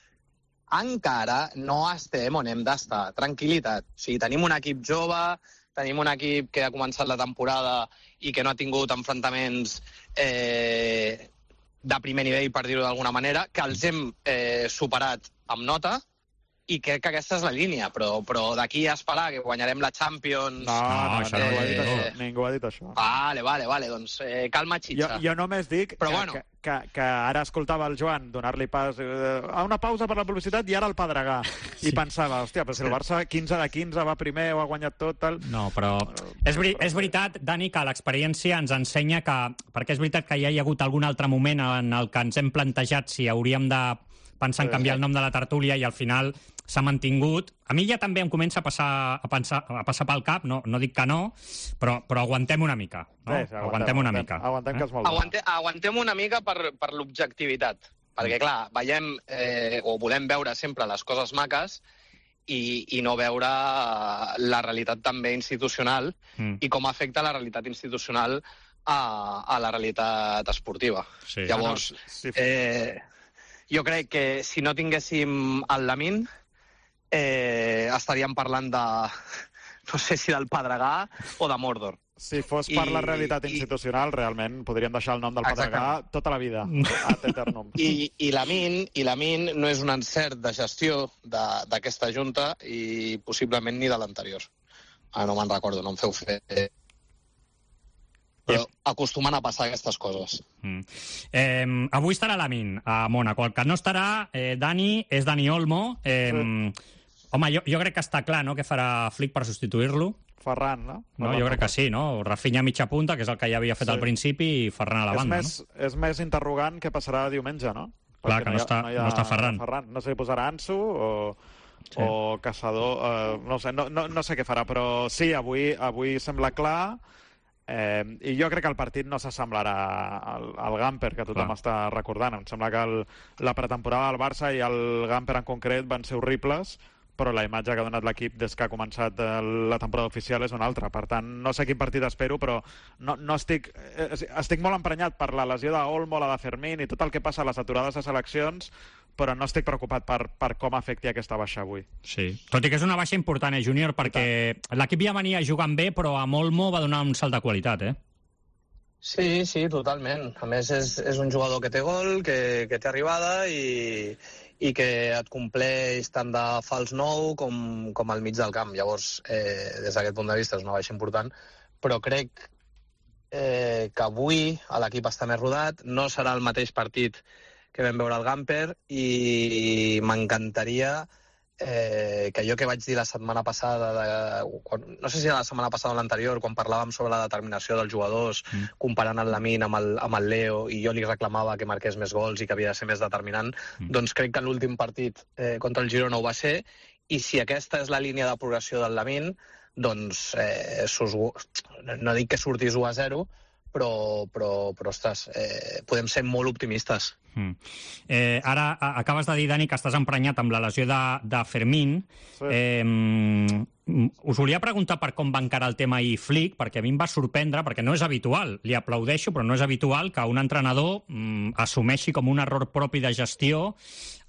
Encara no estem on hem d'estar, tranquil·litat. O sigui, tenim un equip jove, tenim un equip que ha començat la temporada i que no ha tingut enfrontaments de primer nivell, per dir-ho d'alguna manera, que els hem superat amb nota, i crec que aquesta és la línia, però d'aquí a esperar que guanyarem la Champions... No, això ningú ha dit això. Ningú ha dit això. Vale, doncs calma, xitxa. Jo només dic que ara escoltava el Joan donar-li pas a una pausa per la publicitat i ara el Pedregà. I pensava, hòstia, però si el Barça 15 de 15 va primer o ha guanyat tot... Tal... No, però és veritat, Dani, que l'experiència ens ensenya que... Perquè és veritat que ja hi ha hagut algun altre moment en el que ens hem plantejat si hauríem de pensar en canviar el nom de la tertúlia i al final s'ha mantingut. A mi ja també em comença a passar pel cap, no dic que no, però aguantem una mica. No? Sí, aguantem una mica. Aguantem, que és molt bo. Aguantem una mica per l'objectivitat, perquè clar, veiem o volem veure sempre les coses maques i no veure la realitat també institucional i com afecta la realitat institucional a la realitat esportiva. Sí. Llavors, jo crec que si no tinguéssim el Lamine, estaríem parlant de, no sé si del Pedregà o de Mordor. Si fos per la realitat institucional, realment podríem deixar el nom del Pedregà tota la vida, ad eternum. I Lamine no és un encert de gestió d'aquesta Junta i possiblement ni de l'anterior. No me'n recordo, no em feu fer... Però acostumen a passar aquestes coses. Avui estarà Lamine a Mónaco. El que no estarà, Dani, és Dani Olmo. Home, jo crec que està clar, no?, què farà Flick per substituir-lo. Ferran, no? Jo crec que sí, no? Rafinha a mitja punta, que és el que ja havia fet al principi, i Ferran a la banda, no? És més interrogant què passarà diumenge, no? Clar, que no està Ferran. No sé si posarà Ansu o Caçador, no sé què farà, però sí, avui sembla clar. I jo crec que el partit no s'assemblarà al Gamper, que tothom està recordant. Em sembla que la pretemporada del Barça i el Gamper en concret van ser horribles, però la imatge que ha donat l'equip des que ha començat la temporada oficial és una altra. Per tant, no sé quin partit espero, però no estic molt emprenyat per la lesió d'Olmo, la de Fermín i tot el que passa a les aturades de seleccions, però no estic preocupat per com afecti aquesta baixa avui. Sí, tot i que és una baixa important, Júnior, perquè l'equip ja venia jugant bé, però amb Olmo va donar un salt de qualitat, Sí, totalment. A més, és un jugador que té gol, que té arribada i que et compleix tant de fals nou com al mig del camp. Llavors, des d'aquest punt de vista és una baixa important, però crec que avui l'equip està més rodat, no serà el mateix partit que vam veure al Gamper i m'encantaria que allò que vaig dir la setmana passada, no sé si la setmana passada o l'anterior, quan parlàvem sobre la determinació dels jugadors, comparant el Lamine amb el Leo, i jo li reclamava que marqués més gols i que havia de ser més determinant, doncs crec que l'últim partit contra el Girona ho va ser, i si aquesta és la línia de progressió del Lamine, doncs no dic que surtis 1-0, però ostres, podem ser molt optimistes. Ara acabes de dir, Dani, que estàs emprenyat amb la lesió de Fermín. Us volia preguntar per com va encarar el tema ahir Flick, perquè a mi em va sorprendre, perquè no és habitual, li aplaudeixo, però no és habitual que un entrenador assumeixi com un error propi de gestió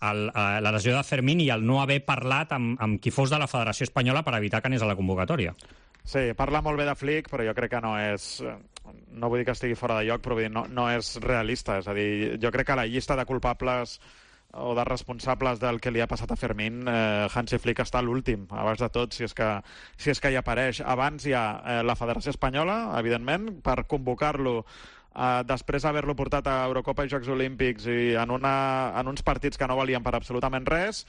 la lesió de Fermín i el no haver parlat amb qui fos de la Federació Espanyola per evitar que anés a la convocatòria. Sí, parla molt bé de Flick, però jo crec que no és... No vull dir que estigui fora de lloc, però vull dir, no és realista. És a dir, jo crec que la llista de culpables o de responsables del que li ha passat a Fermín, Hansi Flick està a l'últim, abans de tot, si és que hi apareix. Abans hi ha la Federació Espanyola, evidentment, per convocar-lo després d'haver-lo portat a Eurocopa i Jocs Olímpics i en uns partits que no valien per absolutament res.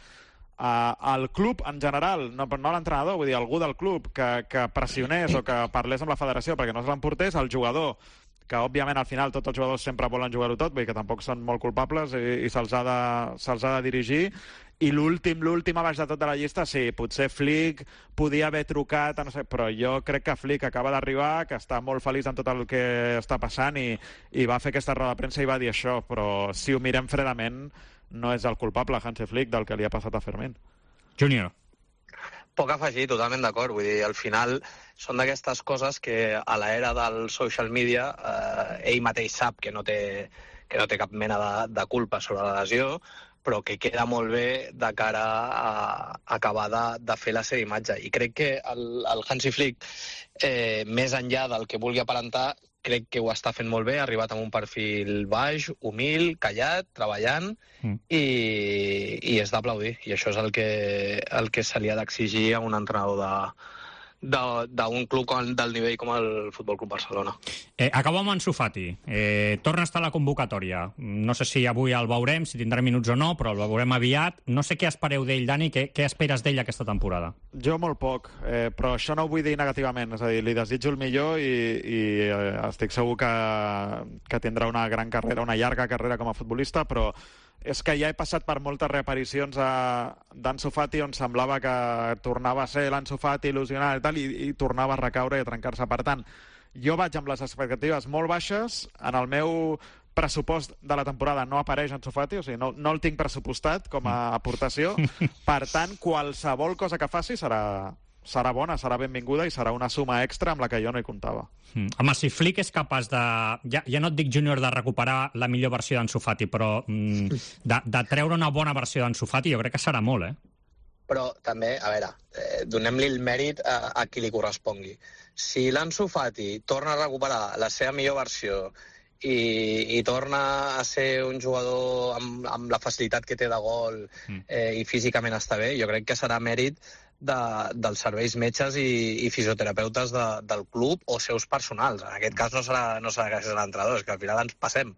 El club en general, no l'entrenador, vull dir, algú del club que pressionés o que parlés amb la federació perquè no se l'emportés, el jugador, que òbviament al final tots els jugadors sempre volen jugar-ho tot, vull dir que tampoc són molt culpables i se'ls ha de dirigir. I l'últim a baix de tot de la llista, sí, potser Flick podia haver trucat, no sé, però jo crec que Flick acaba d'arribar, que està molt feliç amb tot el que està passant i va fer aquesta roda de premsa i va dir això, però si ho mirem fredament no és el culpable, Hansi Flick, del que li ha passat a Fermín. Júnior. Poc a afegir, totalment d'acord. Vull dir, al final són d'aquestes coses que a l'era del social media ell mateix sap que no té cap mena de culpa sobre la lesió, però que queda molt bé de cara a acabar de fer la seva imatge. I crec que el Hansi Flick, més enllà del que vulgui aparentar, crec que ho està fent molt bé, ha arribat amb un perfil baix, humil, callat, treballant, i és d'aplaudir. I això és el que se li ha d'exigir a un entrenador d'un club del nivell com el Futbol Club Barcelona. Acabo amb Ansu Fati. Torna a estar a la convocatòria. No sé si avui el veurem, si tindrà minuts o no, però el veurem aviat. No sé què espereu d'ell, Dani, què esperes d'ell aquesta temporada? Jo molt poc, però això no ho vull dir negativament. És a dir, li desitjo el millor i estic segur que tindrà una gran carrera, una llarga carrera com a futbolista, però és que ja he passat per moltes reaparicions d'Ansu Fati on semblava que tornava a ser l'Ansu Fati il·lusionat i tal, i tornava a recaure i a trencar-se. Per tant, jo vaig amb les expectatives molt baixes. En el meu pressupost de la temporada no apareix Ansu Fati, o sigui, no el tinc pressupostat com a aportació. Per tant, qualsevol cosa que faci serà bona, serà benvinguda i serà una suma extra amb la que jo no hi comptava. Home, si Flick és capaç de... Ja no et dic, Júnior, de recuperar la millor versió d'Ansu Fati, però de treure una bona versió d'Ansu Fati jo crec que serà molt, Però també, a veure, donem-li el mèrit a qui li correspongui. Si l'Ansu Fati torna a recuperar la seva millor versió i torna a ser un jugador amb la facilitat que té de gol i físicament està bé, jo crec que serà mèrit dels serveis metges i fisioterapeutes del club o seus personals. En aquest cas no serà gràcies a l'entrenador, és que al final ens passem.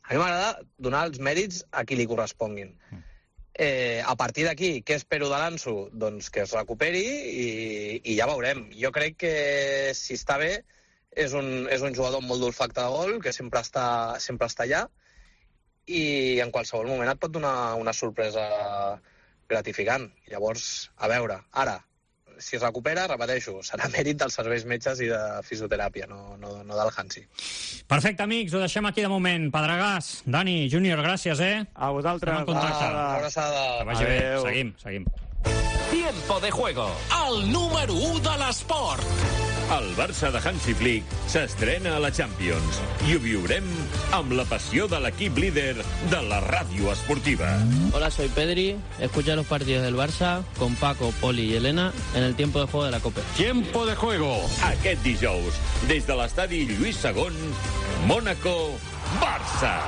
A mi m'agrada donar els mèrits a qui li corresponguin. A partir d'aquí, què espero de l'Ansu? Doncs que es recuperi i ja veurem. Jo crec que si està bé és un jugador amb molt d'olfacte de gol, que sempre està allà, i en qualsevol moment et pot donar una sorpresa gratificant. Llavors, a veure, ara, si es recupera, repeteixo, serà mèrit dels serveis metges i de fisioteràpia, no del Hansi. Perfecte, amics, ho deixem aquí de moment. Pedregàs, Dani, Júnior, gràcies, A vosaltres. Una abraçada. Que vagi bé, seguim. Tiempo de juego, el número 1 de l'esport. El Barça de Hansi Flick s'estrena a la Champions i ho viurem amb la passió de l'equip líder de la ràdio esportiva. Hola, soy Pedri. Escucha los partidos del Barça con Paco, Poli y Elena en el tiempo de juego de la Copa. Tiempo de juego. Aquest dijous, des de l'estadi Lluís II, Mónaco, Barça.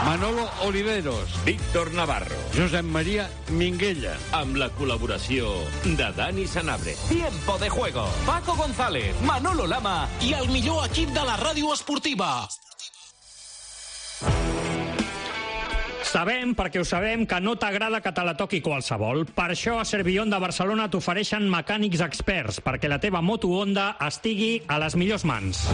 Manolo Oliveros. Víctor Navarro. Josep María Minguella. Amb la col·laboració de Dani Sanabria. Tiempo de juego. Paco González, Manolo Lama i el millor equip de la ràdio esportiva. Sabem, perquè ho sabem, que no t'agrada que te la toqui qualsevol. Per això a Servillon de Barcelona t'ofereixen mecànics experts perquè la teva moto Honda estigui a les millors mans.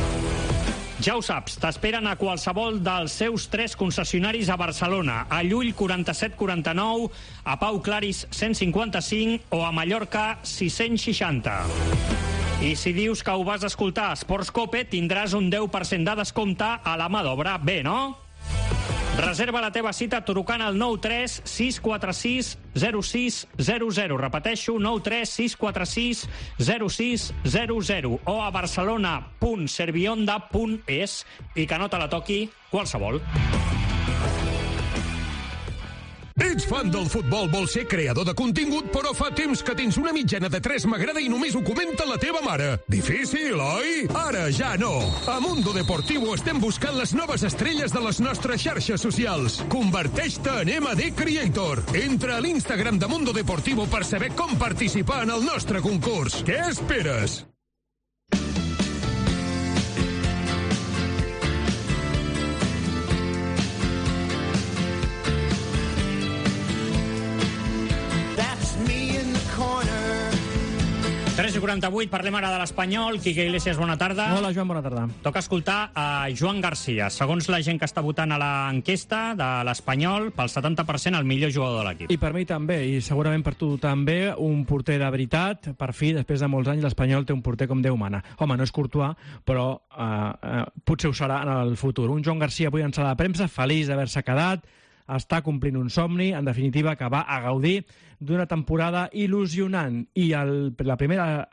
Ja ho saps, t'esperen a qualsevol dels seus 3 concessionaris a Barcelona, a Llull 4749, a Pau Claris 155 o a Mallorca 660. I si dius que ho vas escoltar a Sports Cope, tindràs un 10% de descompte a la mà d'obra. Bé, no? Reserva la teva cita trucant al 93 646 0600. Repeteixo, 93 646 0600 o a barcelona.servionda.es i que no te la toqui qualsevol. Ets fan del futbol, vols ser creador de contingut, però fa temps que tens una mitjana de 3 m'agrada i només ho comenta la teva mare. Difícil, oi? Ara ja no. A Mundo Deportivo estem buscant les noves estrelles de les nostres xarxes socials. Converteix-te en MD Creator. Entra a l'Instagram de Mundo Deportivo per saber com participar en el nostre concurs. Què esperes? Corner. 3:48, parlem ara de l'Espanyol. Quique Iglesias, bona tarda. Hola, Joan, bona tarda. Toca escoltar a Joan Garcia. Segons la gent que està votant a l'enquesta de l'Espanyol, pel 70% el millor jugador de l'equip. I per mi també, i segurament per tu també, un porter de veritat. Per fi, després de molts anys, l'Espanyol té un porter com Déu mana. Home, no és Courtois, però potser ho serà en el futur. Un Joan Garcia avui en sala de premsa, feliç d'haver-se quedat, està complint un somni, en definitiva, que va a gaudir d'una temporada il·lusionant. I la primera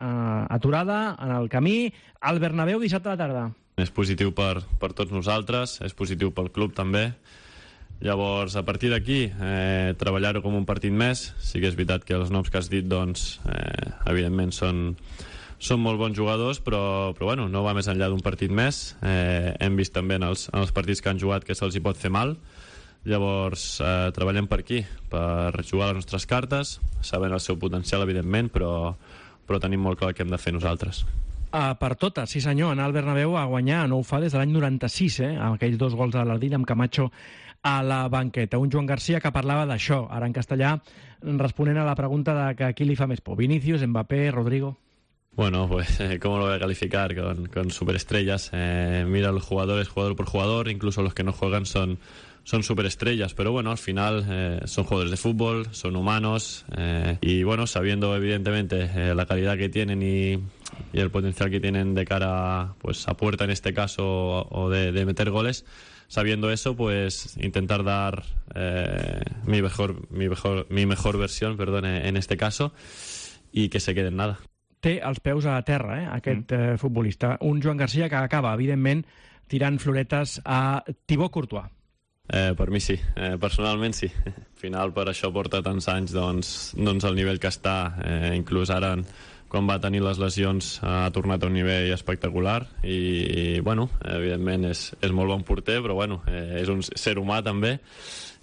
aturada en el camí al Bernabéu dissabte a la tarda. És positiu per tots nosaltres, és positiu pel club també. Llavors, a partir d'aquí, treballar-ho com un partit més. Sí que és veritat que els noms que has dit, doncs, evidentment són són molt bons jugadors, però bueno, no va més enllà d'un partit més. Hem vist també en els partits que han jugat que se'ls hi pot fer mal. Llavors treballem per aquí, per jugar les nostres cartes, sabent el seu potencial, evidentment, però tenim molt clar el que hem de fer nosaltres. Per totes, sí senyor, anar al Bernabéu a guanyar, no ho fa des de l'any 96, amb aquells 2 gols de l'Ardín amb Camacho a la banqueta. Un Joan García que parlava d'això, ara en castellà, responent a la pregunta de que qui li fa més por, Vinicius, Mbappé, Rodrigo. Bueno, pues, ¿cómo lo voy a calificar? Con superestrellas. Mira, los jugadores, jugador por jugador, incluso los que no juegan son superestrellas, pero bueno, al final son jugadores de fútbol, son humanos, y bueno, sabiendo evidentemente la calidad que tienen y el potencial que tienen de cara pues a puerta en este caso o de meter goles, sabiendo eso, pues intentar dar mi mejor versión, perdón, en este caso, y que se quede en nada. Té els peus a terra, aquest futbolista. Un Joan García que acaba, evidentment, tirant floretes a Thibaut Courtois. Per mi sí, personalment sí. Al final per això porta tants anys doncs al nivell que està, inclús ara quan va tenir les lesions ha tornat a un nivell espectacular i bueno, evidentment és molt bon porter, però bueno, és un ser humà també.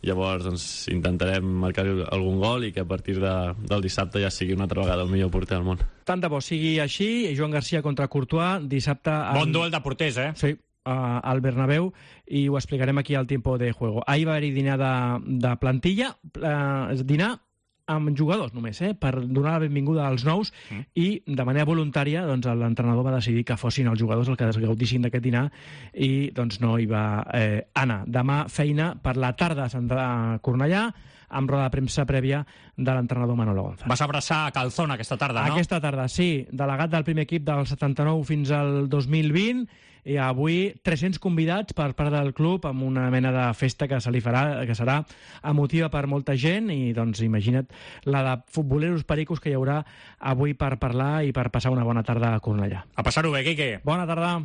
Llavors doncs, intentarem marcar algun gol i que a partir del dissabte ja sigui una altra vegada el millor porter del món. Tant de bo sigui així. Joan García contra Courtois, dissabte... Bon duel de porters, Sí, al Bernabéu, i ho explicarem aquí al Tiempo de Juego. Ahir va haver-hi dinar de plantilla, dinar amb jugadors només, per donar la benvinguda als nous, i de manera voluntària doncs, l'entrenador va decidir que fossin els jugadors els que es gaudissin d'aquest dinar i doncs, no hi va anar. Demà feina per la tarda a Cornellà, amb roda de premsa prèvia de l'entrenador Manolo González. Vas abraçar a Calzón aquesta tarda, no? Aquesta tarda, sí. Delegat del primer equip del 79 fins al 2020, i avui 300 convidats per part del club amb una mena de festa que se li farà, que serà emotiva per molta gent, i doncs imagina't la de futboleros pericos que hi haurà avui per parlar i per passar una bona tarda a Cornellà. A passar-ho bé, Quique. Bona tarda.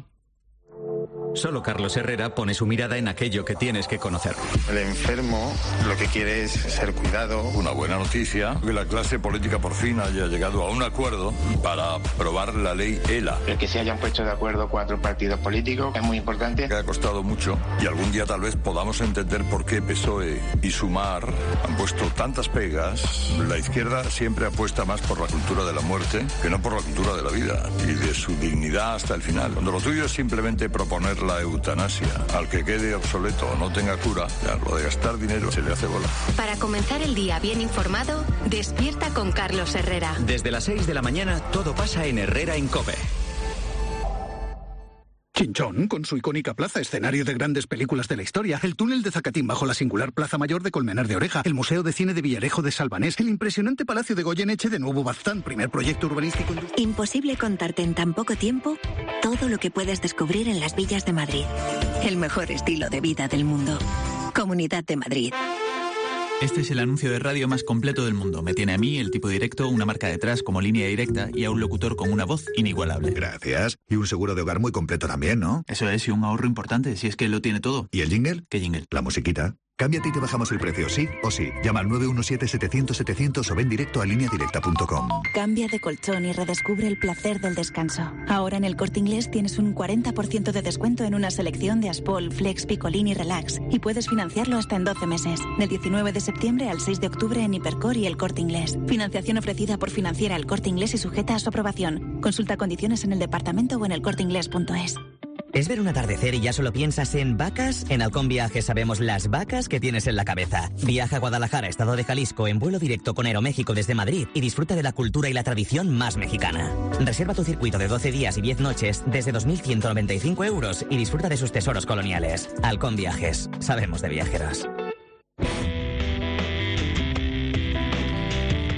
Solo Carlos Herrera pone su mirada en aquello que tienes que conocer. El enfermo lo que quiere es ser cuidado. Una buena noticia, que la clase política por fin haya llegado a un acuerdo para aprobar la ley ELA. El que se hayan puesto de acuerdo 4 partidos políticos es muy importante. Que ha costado mucho y algún día tal vez podamos entender por qué PSOE y Sumar han puesto tantas pegas. La izquierda siempre apuesta más por la cultura de la muerte que no por la cultura de la vida y de su dignidad hasta el final. Cuando lo tuyo es simplemente proponer la eutanasia, al que quede obsoleto o no tenga cura, ya lo de gastar dinero se le hace bola. Para comenzar el día bien informado, despierta con Carlos Herrera. Desde las 6 de la mañana todo pasa en Herrera en COPE. Chinchón, con su icónica plaza, escenario de grandes películas de la historia, el túnel de Zacatín bajo la singular Plaza Mayor de Colmenar de Oreja, el Museo de Cine de Villarejo de Salvanés, el impresionante Palacio de Goyeneche de Nuevo Baztán, primer proyecto urbanístico... Imposible contarte en tan poco tiempo todo lo que puedes descubrir en las villas de Madrid. El mejor estilo de vida del mundo. Comunidad de Madrid. Este es el anuncio de radio más completo del mundo. Me tiene a mí, el tipo directo, una marca detrás como línea directa y a un locutor con una voz inigualable. Gracias. Y un seguro de hogar muy completo también, ¿no? Eso es, y un ahorro importante, si es que lo tiene todo. ¿Y el jingle? ¿Qué jingle? La musiquita. Cámbiate y te bajamos el precio, sí o sí. Llama al 917-700-700 o ven directo a lineadirecta.com. Cambia de colchón y redescubre el placer del descanso. Ahora en el Corte Inglés tienes un 40% de descuento en una selección de Aspol, Flex, Picolín y Relax. Y puedes financiarlo hasta en 12 meses. Del 19 de septiembre al 6 de octubre en Hipercor y el Corte Inglés. Financiación ofrecida por Financiera El Corte Inglés y sujeta a su aprobación. Consulta condiciones en el departamento o en elcorteinglés.es. ¿Es ver un atardecer y ya solo piensas en vacas? En Halcón Viajes sabemos las vacas que tienes en la cabeza. Viaja a Guadalajara, Estado de Jalisco, en vuelo directo con Aeroméxico desde Madrid y disfruta de la cultura y la tradición más mexicana. Reserva tu circuito de 12 días y 10 noches desde 2.195 euros y disfruta de sus tesoros coloniales. Halcón Viajes. Sabemos de viajeros.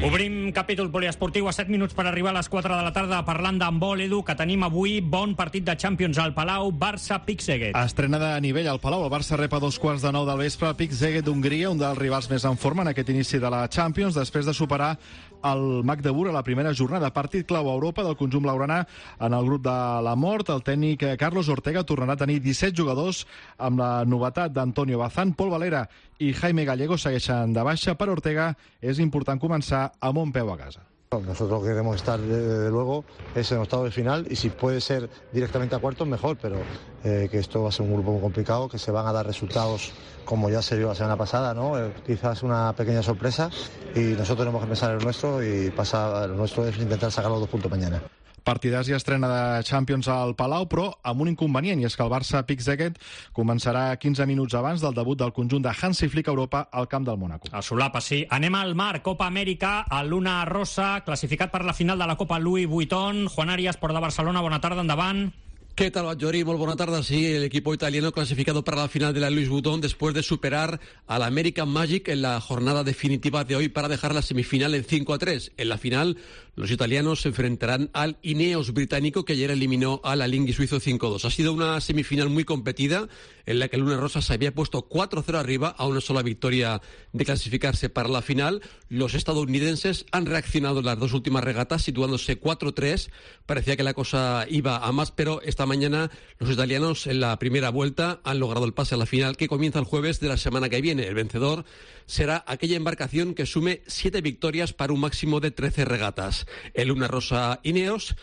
Obrim capítol poliesportiu a 7 minuts per arribar a les 4 de la tarda parlant d'handbol, Edu, que tenim avui bon partit de Champions al Palau, Barça-Pick-Szeged. Estrena de nivell al Palau. El Barça rep a 2:15 del vespre Pick-Szeged d'Hongria, un dels rivals més en forma en aquest inici de la Champions, després de superar el Magdeburg a la primera jornada. Partit clau a Europa del conjunt blaugrana en el grup de la mort. El tècnic Carlos Ortega tornarà a tenir 17 jugadors amb la novetat d'Antonio Bazán, Pol Valera i Jaime Gallego segueixen de baixa. Per Ortega és important començar amb un peu a casa. Nosotros lo que queremos estar, desde luego, es en octavos de final y si puede ser directamente a cuartos, mejor, pero que esto va a ser un grupo muy complicado, que se van a dar resultados como ya se vio la semana pasada, ¿no? Quizás una pequeña sorpresa y nosotros tenemos que pensar en lo nuestro y lo nuestro es intentar sacar los 2 puntos mañana. Partidàs i estrena de Champions al Palau, però amb un inconvenient, i és que el Barça Pick Szeged començarà 15 minuts abans del debut del conjunt de Hansi Flick a Europa al camp del Mónaco. A solapa, sí. Anem al mar, Copa Amèrica, el Luna Rossa, classificat per la final de la Copa Louis Vuitton. Juan Arias, Port de Barcelona, bona tarda, endavant. ¿Qué tal, Badjori? Muy buena tarde. Sí, el equipo italiano clasificado para la final de la Louis Vuitton después de superar al American Magic en la jornada definitiva de hoy para dejar la semifinal en 5-3. En la final, los italianos se enfrentarán al Ineos británico, que ayer eliminó al Alinghi suizo 5-2. Ha sido una semifinal muy competida en la que el Luna Rossa se había puesto 4-0 arriba a una sola victoria de clasificarse para la final. Los estadounidenses han reaccionado en las 2 últimas regatas, situándose 4-3. Parecía que la cosa iba a más, pero esta mañana los italianos en la primera vuelta han logrado el pase a la final, que comienza el jueves de la semana que viene. El vencedor será aquella embarcación que sume 7 victorias para un máximo de 13 regatas. El Luna Rossa Ineos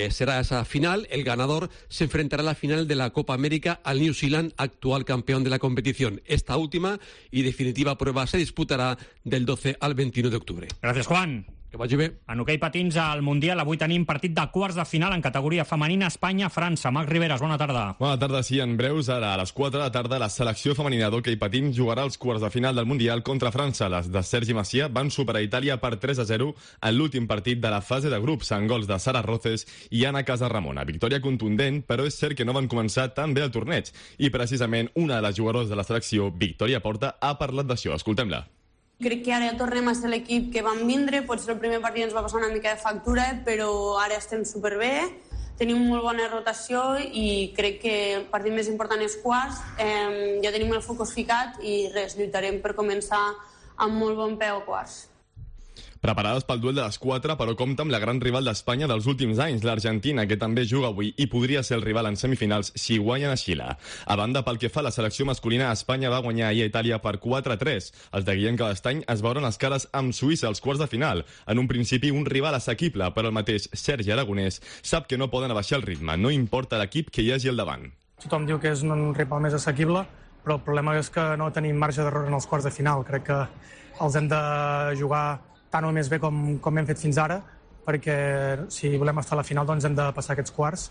será esa final. El ganador se enfrentará a la final de la Copa América al New Zealand, actual campeón de la competición. Esta última y definitiva prueba se disputarà del 12 al 21 de octubre. Gràcies, Juan. Que vagi bé. En hoquei patins al Mundial avui tenim partit de quarts de final en categoria femenina Espanya-França. Marc Riveras, bona tarda. Bona tarda, sí, en breus. Ara a les 4 de la tarda la selecció femenina d'hoquei patins jugarà els quarts de final del Mundial contra França. Les de Sergi Macià van superar Itàlia per 3-0 en l'últim partit de la fase de grups, amb gols de Sara Roces i Ana Casarramona. Victòria contundent, però és cert que no van començar tan bé el torneig. I precisament una de les jugadores de la selecció, Victòria Porta, ha parlat d'això. Escoltem-la. Crec que ara tornem a ser l'equip que vam vindre, potser el primer partit ens va passar una mica de factura, però ara estem superbé, tenim molt bona rotació i crec que el partit més important és quarts, ja tenim el focus ficat i res, lluitarem per començar amb molt bon peu a quarts. Preparades pel duel de les 4, però compta amb la gran rival d'Espanya dels últims anys, l'Argentina, que també juga avui i podria ser el rival en semifinals si guanyen a Xile. A banda, pel que fa a la selecció masculina, Espanya va guanyar ahir a Itàlia per 4-3. Els de Guillem Cabestany es veuran les cares amb Suïssa als quarts de final. En un principi, un rival assequible, però el mateix Sergi Aragonès sap que no poden abaixar el ritme, no importa l'equip que hi hagi al davant. Tothom diu que és un rival més assequible, però el problema és que no tenim marge d'error en els quarts de final. Crec que els hem de jugar tant o més bé com hem fet fins ara, perquè si volem estar a la final doncs hem de passar aquests quarts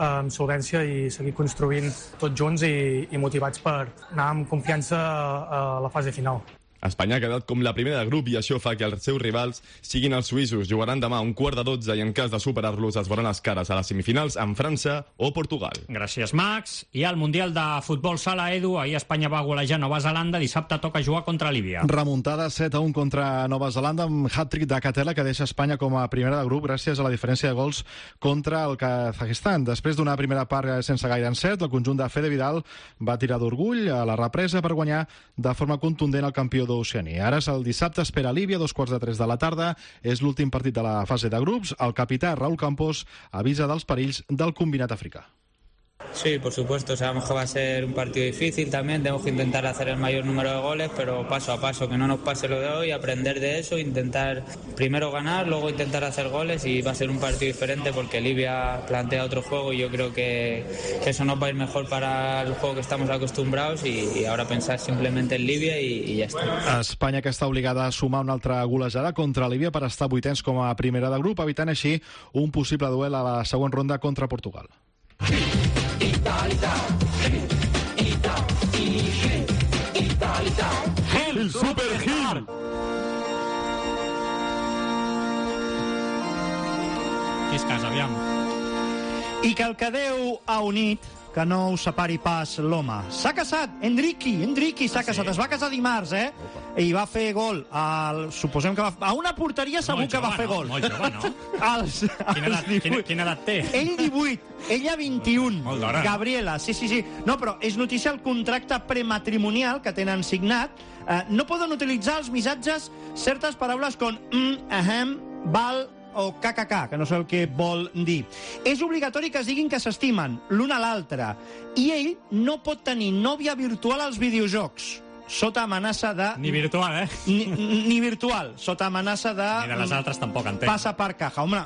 amb solvència i seguir construint tots junts i motivats per anar amb confiança a la fase final. Espanya ha quedat com la primera de grup i això fa que els seus rivals siguin els suïssos. Jugaran demà a 11:45 i en cas de superar-los es veuran les cares a les semifinals amb França o Portugal. Gràcies, Max. I al Mundial de Futbol Sala, Edu, ahir Espanya va golejar Nova Zelanda, dissabte toca jugar contra Líbia. Remuntada 7-1 contra Nova Zelanda amb hat-trick de Catela que deixa Espanya com a primera de grup gràcies a la diferència de gols contra el Kazakistan. Després d'una primera part sense gaire encert, el conjunt de Fede Vidal va tirar d'orgull a la represa per guanyar de forma contundent el campió d'Oceania. Ara és el dissabte, espera Líbia, 2:45 de la tarda. És l'últim partit de la fase de grups. El capità Raúl Campos avisa dels perills del combinat africà. Sí, por supuesto, sabemos que va a ser un partido difícil también, tenemos que intentar hacer el mayor número de goles, pero paso a paso, que no nos pase lo de hoy, aprender de eso, intentar primero ganar, luego intentar hacer goles y va a ser un partido diferente porque Libia plantea otro juego y yo creo que eso nos va a ir mejor para el juego que estamos acostumbrados y ahora pensar simplemente en Líbia i ja està. Espanya que està obligada a sumar una altra golejada contra Líbia per estar vuitens com a primera de grup, evitant així un possible duel a la següent ronda contra Portugal. El Super Gil. Qui es casa, aviam. I que el que Déu ha unit, que no us separi pas l'home. S'ha casat, Enriqui s'ha casat. Es va casar dimarts, I va fer gol. Suposem que a una porteria segur que va fer gol. Molt jove, no? Quina edat té? Ell 18, ella 21. Molt d'hora. Gabriela, sí. No, però és notícia el contracte prematrimonial que tenen signat. No poden utilitzar els missatges certes paraules com ahem, val o KKK, que no sé el que vol dir. És obligatori que es diguin que s'estimen l'un a l'altre. I ell no pot tenir nòvia virtual als videojocs. sota amenaça de... Ni virtual, Ni virtual, sota amenaça de... Ni de les altres tampoc, entenc. Passa per caja. Home,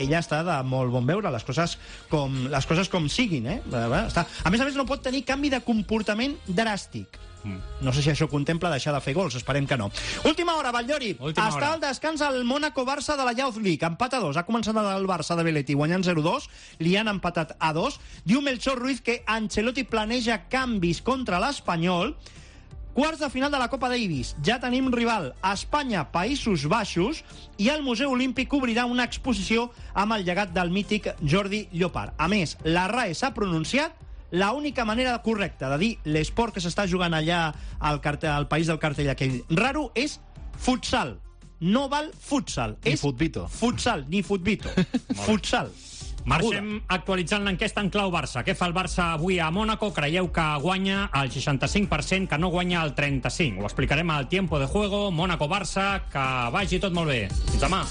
ella està de molt bon veure, les coses com siguin, Està. A més, no pot tenir canvi de comportament dràstic. No sé si això contempla deixar de fer gols, esperem que no. Última hora, Batllori. Està al descans el Mónaco-Barça de la Youth League, empat a 2. Ha començat el Barça de Belletti guanyant 0-2, li han empatat a 2. Diu Melchor Ruiz que Ancelotti planeja canvis contra l'Espanyol. Quarts de final de la Copa Davis. Ja tenim rival. Espanya, Països Baixos, i el Museu Olímpic obrirà una exposició amb el llegat del mític Jordi Llopart. A més, la RAE s'ha pronunciat. La única manera correcta de dir l'esport que s'està jugant allà al país del cartell aquell raro és futsal. No val futsal. Ni futbito. Futsal, ni futbito. Futsal. Marxem actualitzant l'enquesta en clau Barça. Què fa el Barça avui a Mònaco? Creieu que guanya el 65%, que no guanya el 35%. Ho explicarem al Tiempo de Juego. Mònaco-Barça, que vagi tot molt bé. Fins demà.